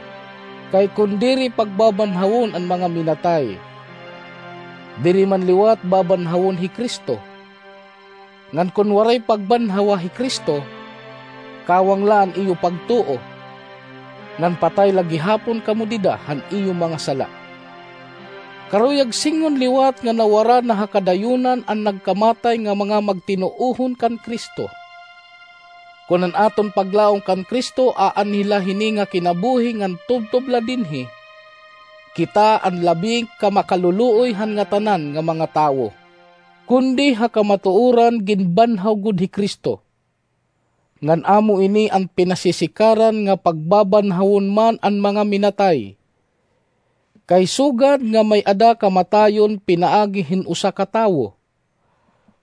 Kay kon diri pagbabanhawon an mga minatay, Diri man liwat babanhawon hi Cristo. Ngan kon waray pagbanhawa hi Cristo, kawang la an iyo pagtuo, ngan patay la gihapon kamo dida han iyo mga sala. Karuyag sidngon liwat nga nawara na ha kadayunan an nagkamatay nga mga magtinuohon kan Cristo. Kon an aton paglaom kan Cristo aanhi la hini nga kinabuhi ngan tubtob la dinhi, kita an labi ka makaluluoy han ngatanan nga mga tawo. Kundi ha kamatuoran ginbanhaw gud hi Cristo. Ngan amo ini an pinasisikaran nga pagbabanhawon man an mga minatay. Kay sugad nga may-ada kamatayon pinaagi hin usa ka tawo,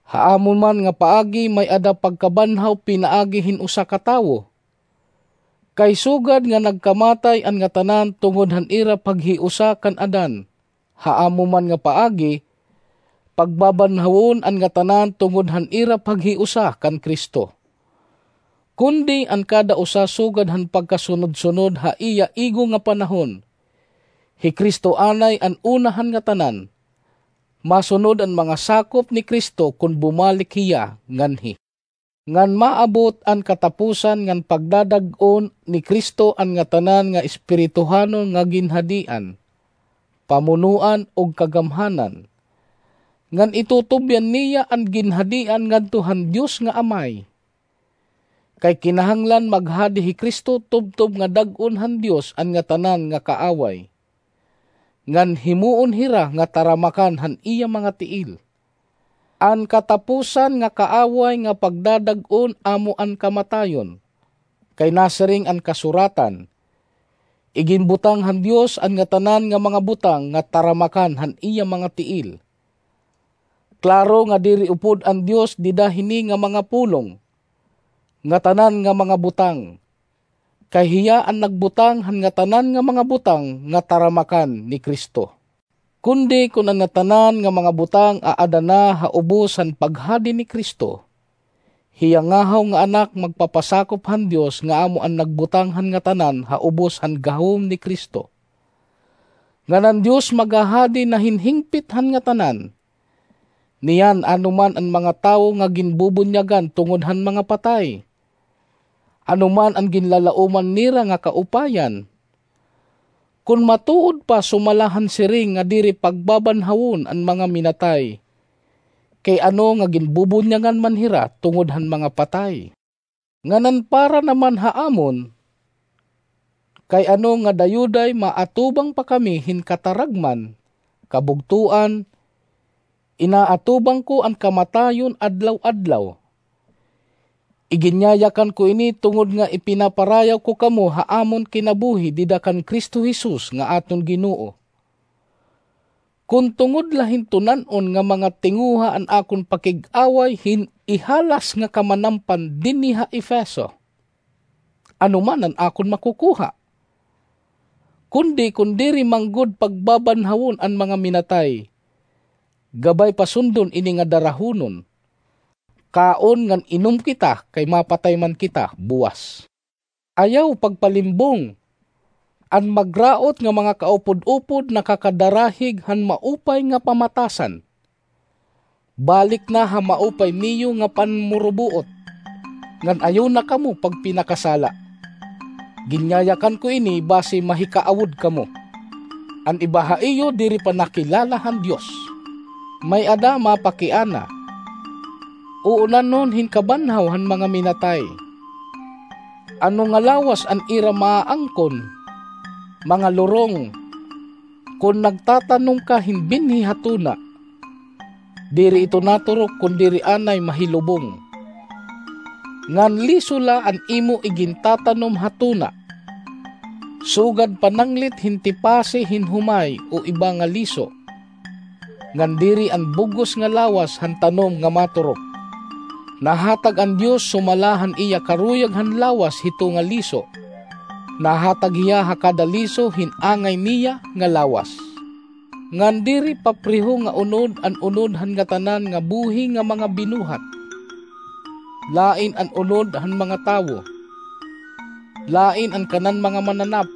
ha amo man nga paagi may-ada pagkabanhaw pinaagi hin usa ka tawo. Kay sugad nga nagkamatay an ngatanan tungod han ira paghiusa kan Adan, ha amo man nga paagi, pagbabanhawon an ngatanan tungod han ira paghiusa kan Cristo. Kundi an kada usa sugad han pagkasunod-sunod ha iya igo nga panahon. Hi Cristo anay an una han ngatanan. Masunod an mga sakop ni Cristo kon bumalik hiya nganhi. Ngan maabot an katapusan ngan pagdadag-on ni Cristo an ngatanan nga espirituhanon nga ginhadian, pamunoan ug kagamhanan. Ngan itutubyan niya an ginhadian ngadto han Dios nga Amay. Kay kinahanglan maghadi hi Cristo tubtob nga dag-on han Dios an ngatanan nga kaaway. Ngan himuon hira nga taramakan han iya mga tiil. An katapusan nga kaaway nga pagdadag-on amo an kamatayon. Kay nasiring an kasuratan, "Iginbutang han Dios an ngatanan nga mga butang nga taramakan han iya mga tiil." Klaro nga diri upod an Dios dida hini nga mga pulong, ngatanan nga mga butang. Kay hiya an nagbutang han ngatanan nga mga butang nga taramakan ni Cristo. Kundi kon an ngatanan nga mga butang aada na ha ubos han paghadi ni Cristo, hiya ngahaw nga Anak magpapasakop han Dios nga amo an nagbutang han ngatanan ha ubos han gahom ni Cristo. Ngan an Dios maghahadi na hin hingpit han ngatanan. Niyan, ano man an mga tawo nga ginbubunyagan tungod han mga patay? Ano man an ginlalaoman nira nga kaupayan? Kon matuod pa sumala han siring nga diri pagbabanhawon an mga minatay, kay ano nga ginbubunyagan man hira tungod han mga patay? Ngan an para naman ha amon, kay ano nga dayuday maatubang pa kami hin kataragman, kabugtoan, inaatubang ko an kamatayon adlaw-adlaw. Iginyayakan ko ini tungod nga ipinaparayaw ko kamo ha amon kinabuhi dida kan Cristo Jesus nga aton Ginoo. Kon tungod la hin tunan-on nga mga tinguha an akon pakig-away hin ihalas nga kamanampan dinhi ha Efeso, ano man an akon makukuha? Kundi kon diri man gud pagbabanhawon an mga minatay, gabay pa sundon ini nga darahunon. Kaon ngan inom kita, kay mapatay man kita buwas. Ayaw pagpalimbong. An magraot nga mga kaupod-upod nakakadarahig han maupay nga pamatasan. Balik na ha maupay niyo nga panmurubuot, ngan ayaw na kamo pagpinakasala. Ginyayakan ko ini basi mahikaawod kamo. An iba ha iyo diri pa nakilala han Dios. May-ada mapakiana. Uunanon hin kabanhaw han mga minatay. Ano nga lawas an ira maaangkon? Mga lurong. Kon nagtatanom ka hin binhi ha tuna, diri ito naturok kon diri anay mahilubong. Ngan liso la an imo igintatanom ha tuna. Sugad pananglit hin tipasi hin humay o iba nga liso. Ngan diri an bug-os nga lawas han tanom nga maturok. Nahatag an Dios sumala han iya karuyag han lawas hito nga liso. Nahatag hiya ha kada liso hin angay niya nga lawas. Ngan diri papreho nga unod an unod han ngatanan nga buhi nga mga binuhat. Lain an unod han mga tawo. Lain an kanan mga mananap.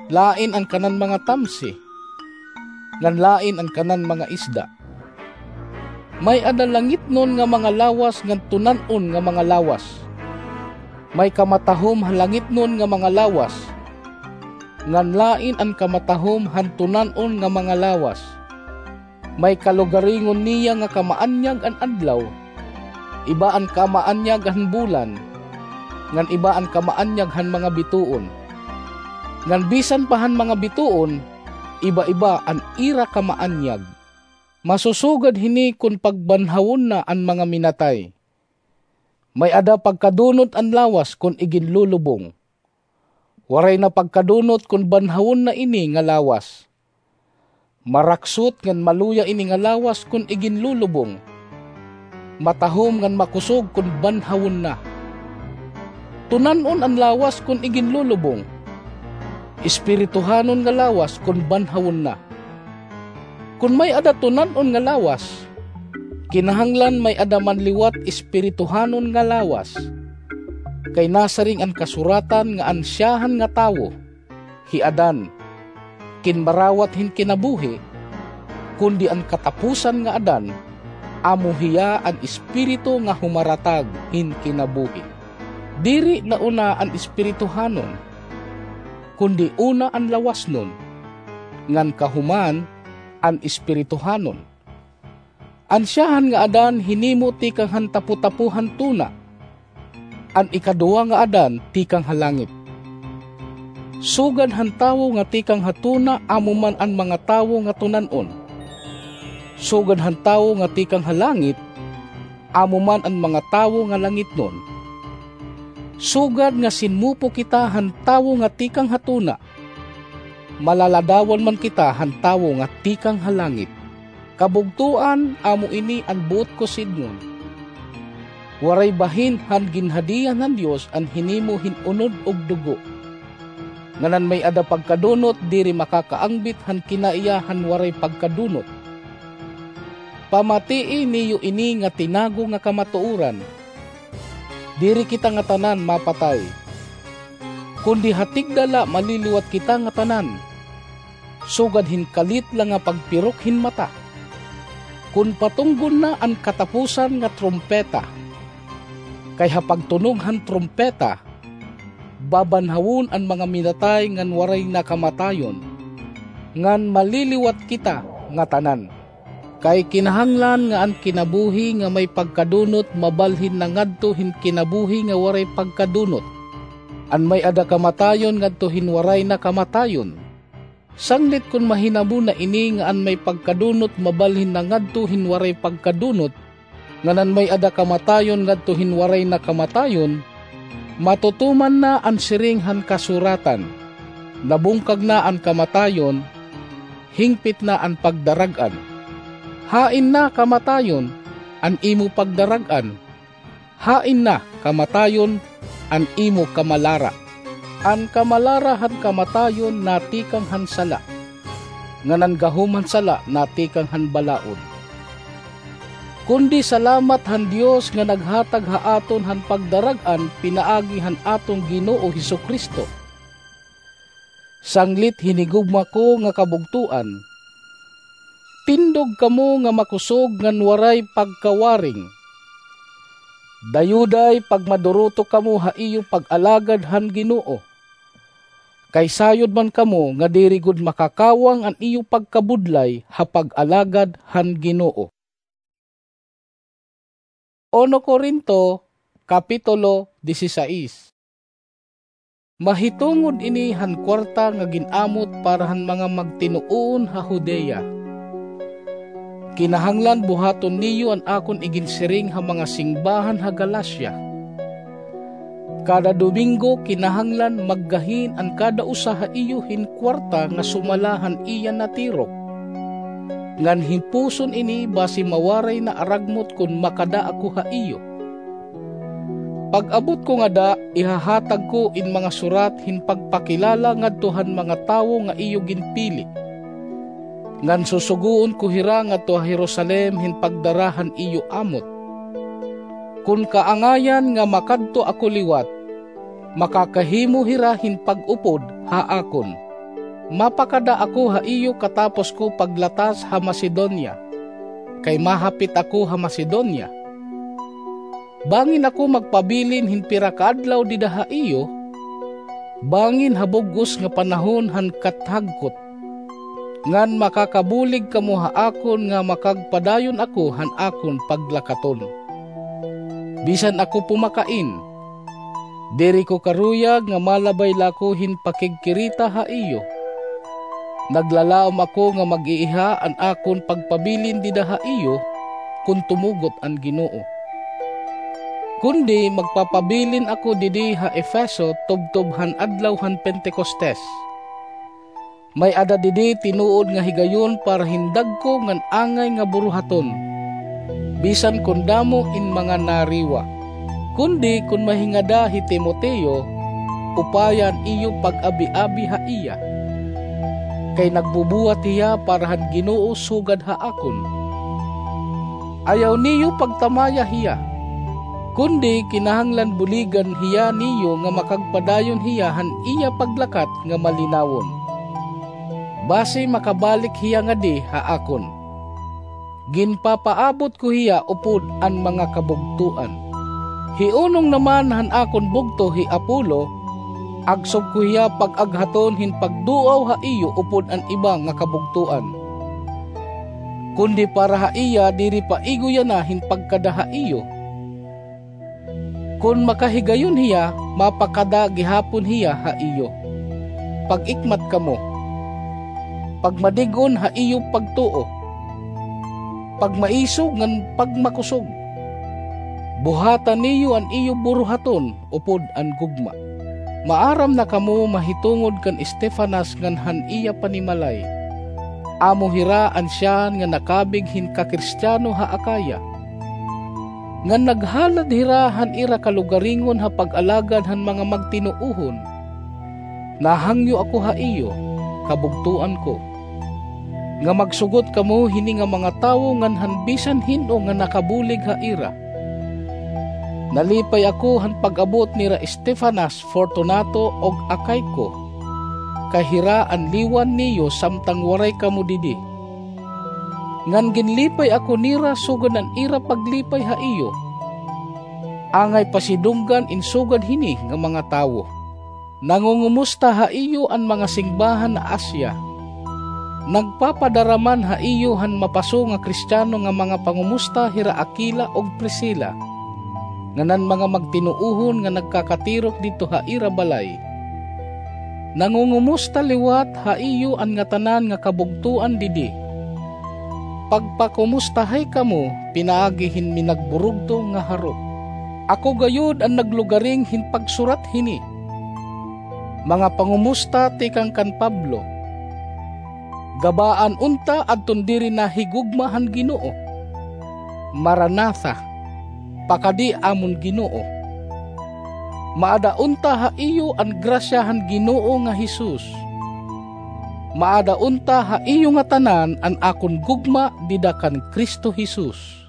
Lain an kanan mga tamsi. ngan lain an kanan mga isda. May-ada langitnon nga mga lawas ngan tunan-on nga mga lawas. May kamatahom ha langitnon nga mga lawas, ngan lain an kamatahom han tunan-on nga mga lawas. May kalugaringon niya nga kamaanyag an adlaw, iba an kamaanyag han bulan, ngan iba an kamaanyag han mga bituon. Ngan bisan pa han mga bituon, iba-iba an ira kamaanyag. Masusugad hini kon pagbanhawon na an mga minatay. May-ada pagkadunot an lawas kon iginlulubong. Waray na pagkadunot kon banhawon na ini nga lawas. Maraksot ngan maluya ini nga lawas kon iginlulubong. Matahom ngan makusog kon banhawon na. Tunan-on an lawas kon iginlulubong. Espirituhanon nga lawas kon banhawon na. Kon may-ada tunan-on nga lawas, kinahanglan may-ada man liwat espirituhanon nga lawas. Kay nasiring an kasuratan nga an siyahan nga tawo, hi Adan, kinmarawat hin kinabuhi, kundi an katapusan nga Adan, amo hiya an espiritu nga humaratag hin kinabuhi. Diri na una an espirituhanon, kundi una an lawasnon, ngan kahuman an espirituhanon. An siyahan nga Adan hinimo tikang han tapotapo han tuna, an ikaduha nga Adan tikang ha langit. Sugad han tawo nga tikang ha tuna amo man an mga tawo nga tunan-on. Sugad han tawo nga tikang ha langit amo man an mga tawo nga langitnon. Sugad nga sinmupo kita han tawo nga tikang ha tuna, malaladawan man kita han tawo nga tikang ha langit. Kabugtoan, amo ini an buot ko sidngon. Waray bahin han ginhadian han Dios an hinimo hin unod ug dugo. Ngan an may-ada pagkadunot diri makakaangbit han kinaiya han waray pagkadunot. Pamatii niyo ini nga tinago nga kamatuoran. Diri kita ngatanan mapatay, kundi ha tigda la maliliwat kita ngatanan, sugad hin kalit la nga pagpirok hin mata, kon patunggon na an katapusan nga trumpeta. Kay ha pagtunog han trumpeta, babanhawon an mga minatay ngan waray na kamatayon, ngan maliliwat kita ngatanan. Kay kinahanglan nga an kinabuhi nga may pagkadunot mabalhin na ngadto hin kinabuhi nga waray pagkadunot, an may-ada kamatayon ngadto hin waray na kamatayon. Sanglit kon mahinabo na ini nga an may pagkadunot mabalhin na ngadto hin waray pagkadunot, ngan an may-ada kamatayon ngadto hin waray na kamatayon, matutuman na an siring han kasuratan, "Nabungkag na an kamatayon, hingpit na an pagdarag-an." Hain na, kamatayon, an imo pagdarag-an? Hain na, kamatayon, an imo kamalara? An kamalara han kamatayon natikang han sala, ngan an gahom han sala natikang han balaod. Kundi salamat han Dios nga naghatag ha aton han pagdarag-an pinaagi han aton Ginoo Jesu-Cristo. Sanglit hinigugma ko nga kabugtoan, tindog kamo nga makusog ngan waray pagkawaring. Dayuday pagmaduruto kamo ha iyo pag-alagad han Ginoo, kay sayod man kamo nga diri gud makakawang an iyo pagkabudlay ha pag-alagad han Ginoo. Uno Corinto, Kapitulo disisais. Mahitungod ini han kuwarta nga gin-amot para han mga magtinuon ha Judea. Kinahanglan buhaton niyo an akon iginsiring ha mga singbahan ha Galacia. Kada Domingo kinahanglan maggahin an kada usa ha iyo hin kuwarta nga sumala han iya natirok, ngan himpuson ini basi mawaray na aragmot kon makada ako ha iyo. Pag-abot ko ngada, ihahatag ko in mga surat hin pagpakilala ngadto han mga tawo nga iyo ginpili, ngan susugoon ko hira ngadto ha Jerusalem hin pagdara han iyo amot. Kon kaangayan nga makadto ako liwat, makakahimo hira hin pag-upod ha akon. Mapakada ako ha iyo katapos ko paglatas ha Macedonia, kay mahapit ako ha Macedonia. Bangin ako magpabilin hin pira ka adlaw dida ha iyo, bangin ha bug-os nga panahon han kathagkot, ngan makakabulig kamo ha akon nga makagpadayon ako han akon paglakaton. Bisan ako pumakain, diri ko karuyag nga malabay la ako hin pakigkirita ha iyo. Naglalaom ako nga mag-iiha an akon pagpabilin dida ha iyo, kon tumugot an Ginoo. Kundi magpapabilin ako didi ha Efeso tubtob han adlaw han Pentecostes. May-ada didi tinuod nga higayon para hin dagko ngan angay nga buruhaton, bisan kon damo in mga nariwa. Kundi kon mahingada hi Timoteo, upaya an iyo pag-abi-abi ha iya, kay nagbubuhat hiya para han Ginoo sugad ha akon. Ayaw niyo pagtamaya hiya, kundi kinahanglan buligan hiya niyo nga makagpadayon hiya han iya paglakat nga malinawon, basi makabalik hiya ngadi ha akon. Ginpapaabot ko hiya upod an mga kabugtoan. Hi unong naman han akon bugto hi Apollo, agsob ko hiya pag-aghaton hin pagduaw ha iyo upod an iba nga kabugtoan. Kundi para ha iya diri paigoy yana hin pagkada ha iyo. Kon makahigayon hiya, mapakada gihapon hiya ha iyo. Pag-ikmat kamo. Pagmadig-on ha iyo pagtuo. Pagmaisog ngan pagmakusog. Buhata niyo an iyo buruhaton upod an gugma. Maaram na kamo mahitungod kan Estefanas ngan han iya panimalay. Amo hira an siyahan nga nakabig hin Kakristiano ha Acaya. Ngan naghalad hira han ira kalugaringon ha pag-alagad han mga magtinuohon. Nahangyo ako ha iyo, kabugtoan ko, nga magsugot kamo hini nga mga tawo ngan han bisan hin-o nga nakabulig ha ira. Nalipay ako han pag-abot nira Estefanas, Fortunato, ug Acaico, kay hira an liwan niyo samtang waray kamo didi. Ngan ginlipay ako nira sugad han ira paglipay ha iyo. Angay pasidunggan in sugad hini nga mga tawo. Nangungumusta ha iyo an mga singbahan ha Asia. Nagpapadara man ha iyo han mapaso nga Kristiano nga mga pangumusta hira Aquila ug Priscila, ngan an mga magtinuohon nga nagkakatirok didto ha ira balay. Nangungumusta liwat ha iyo an ngatanan nga kabugtoan didi. Pagpakumustahay kamo pinaagi hin minagburugto nga harok. Ako gayod an naglugaring hin pagsurat hini. Mga pangumusta tikang kan Pablo. Gabaan unta adton diri nahigugma han Ginoo. Maranatha, pakadi amon Ginoo. Maada unta ha iyo an grasya han Ginoo nga Jesus. Maada unta ha iyo ngatanan an akon gugma dida kan Cristo Jesus.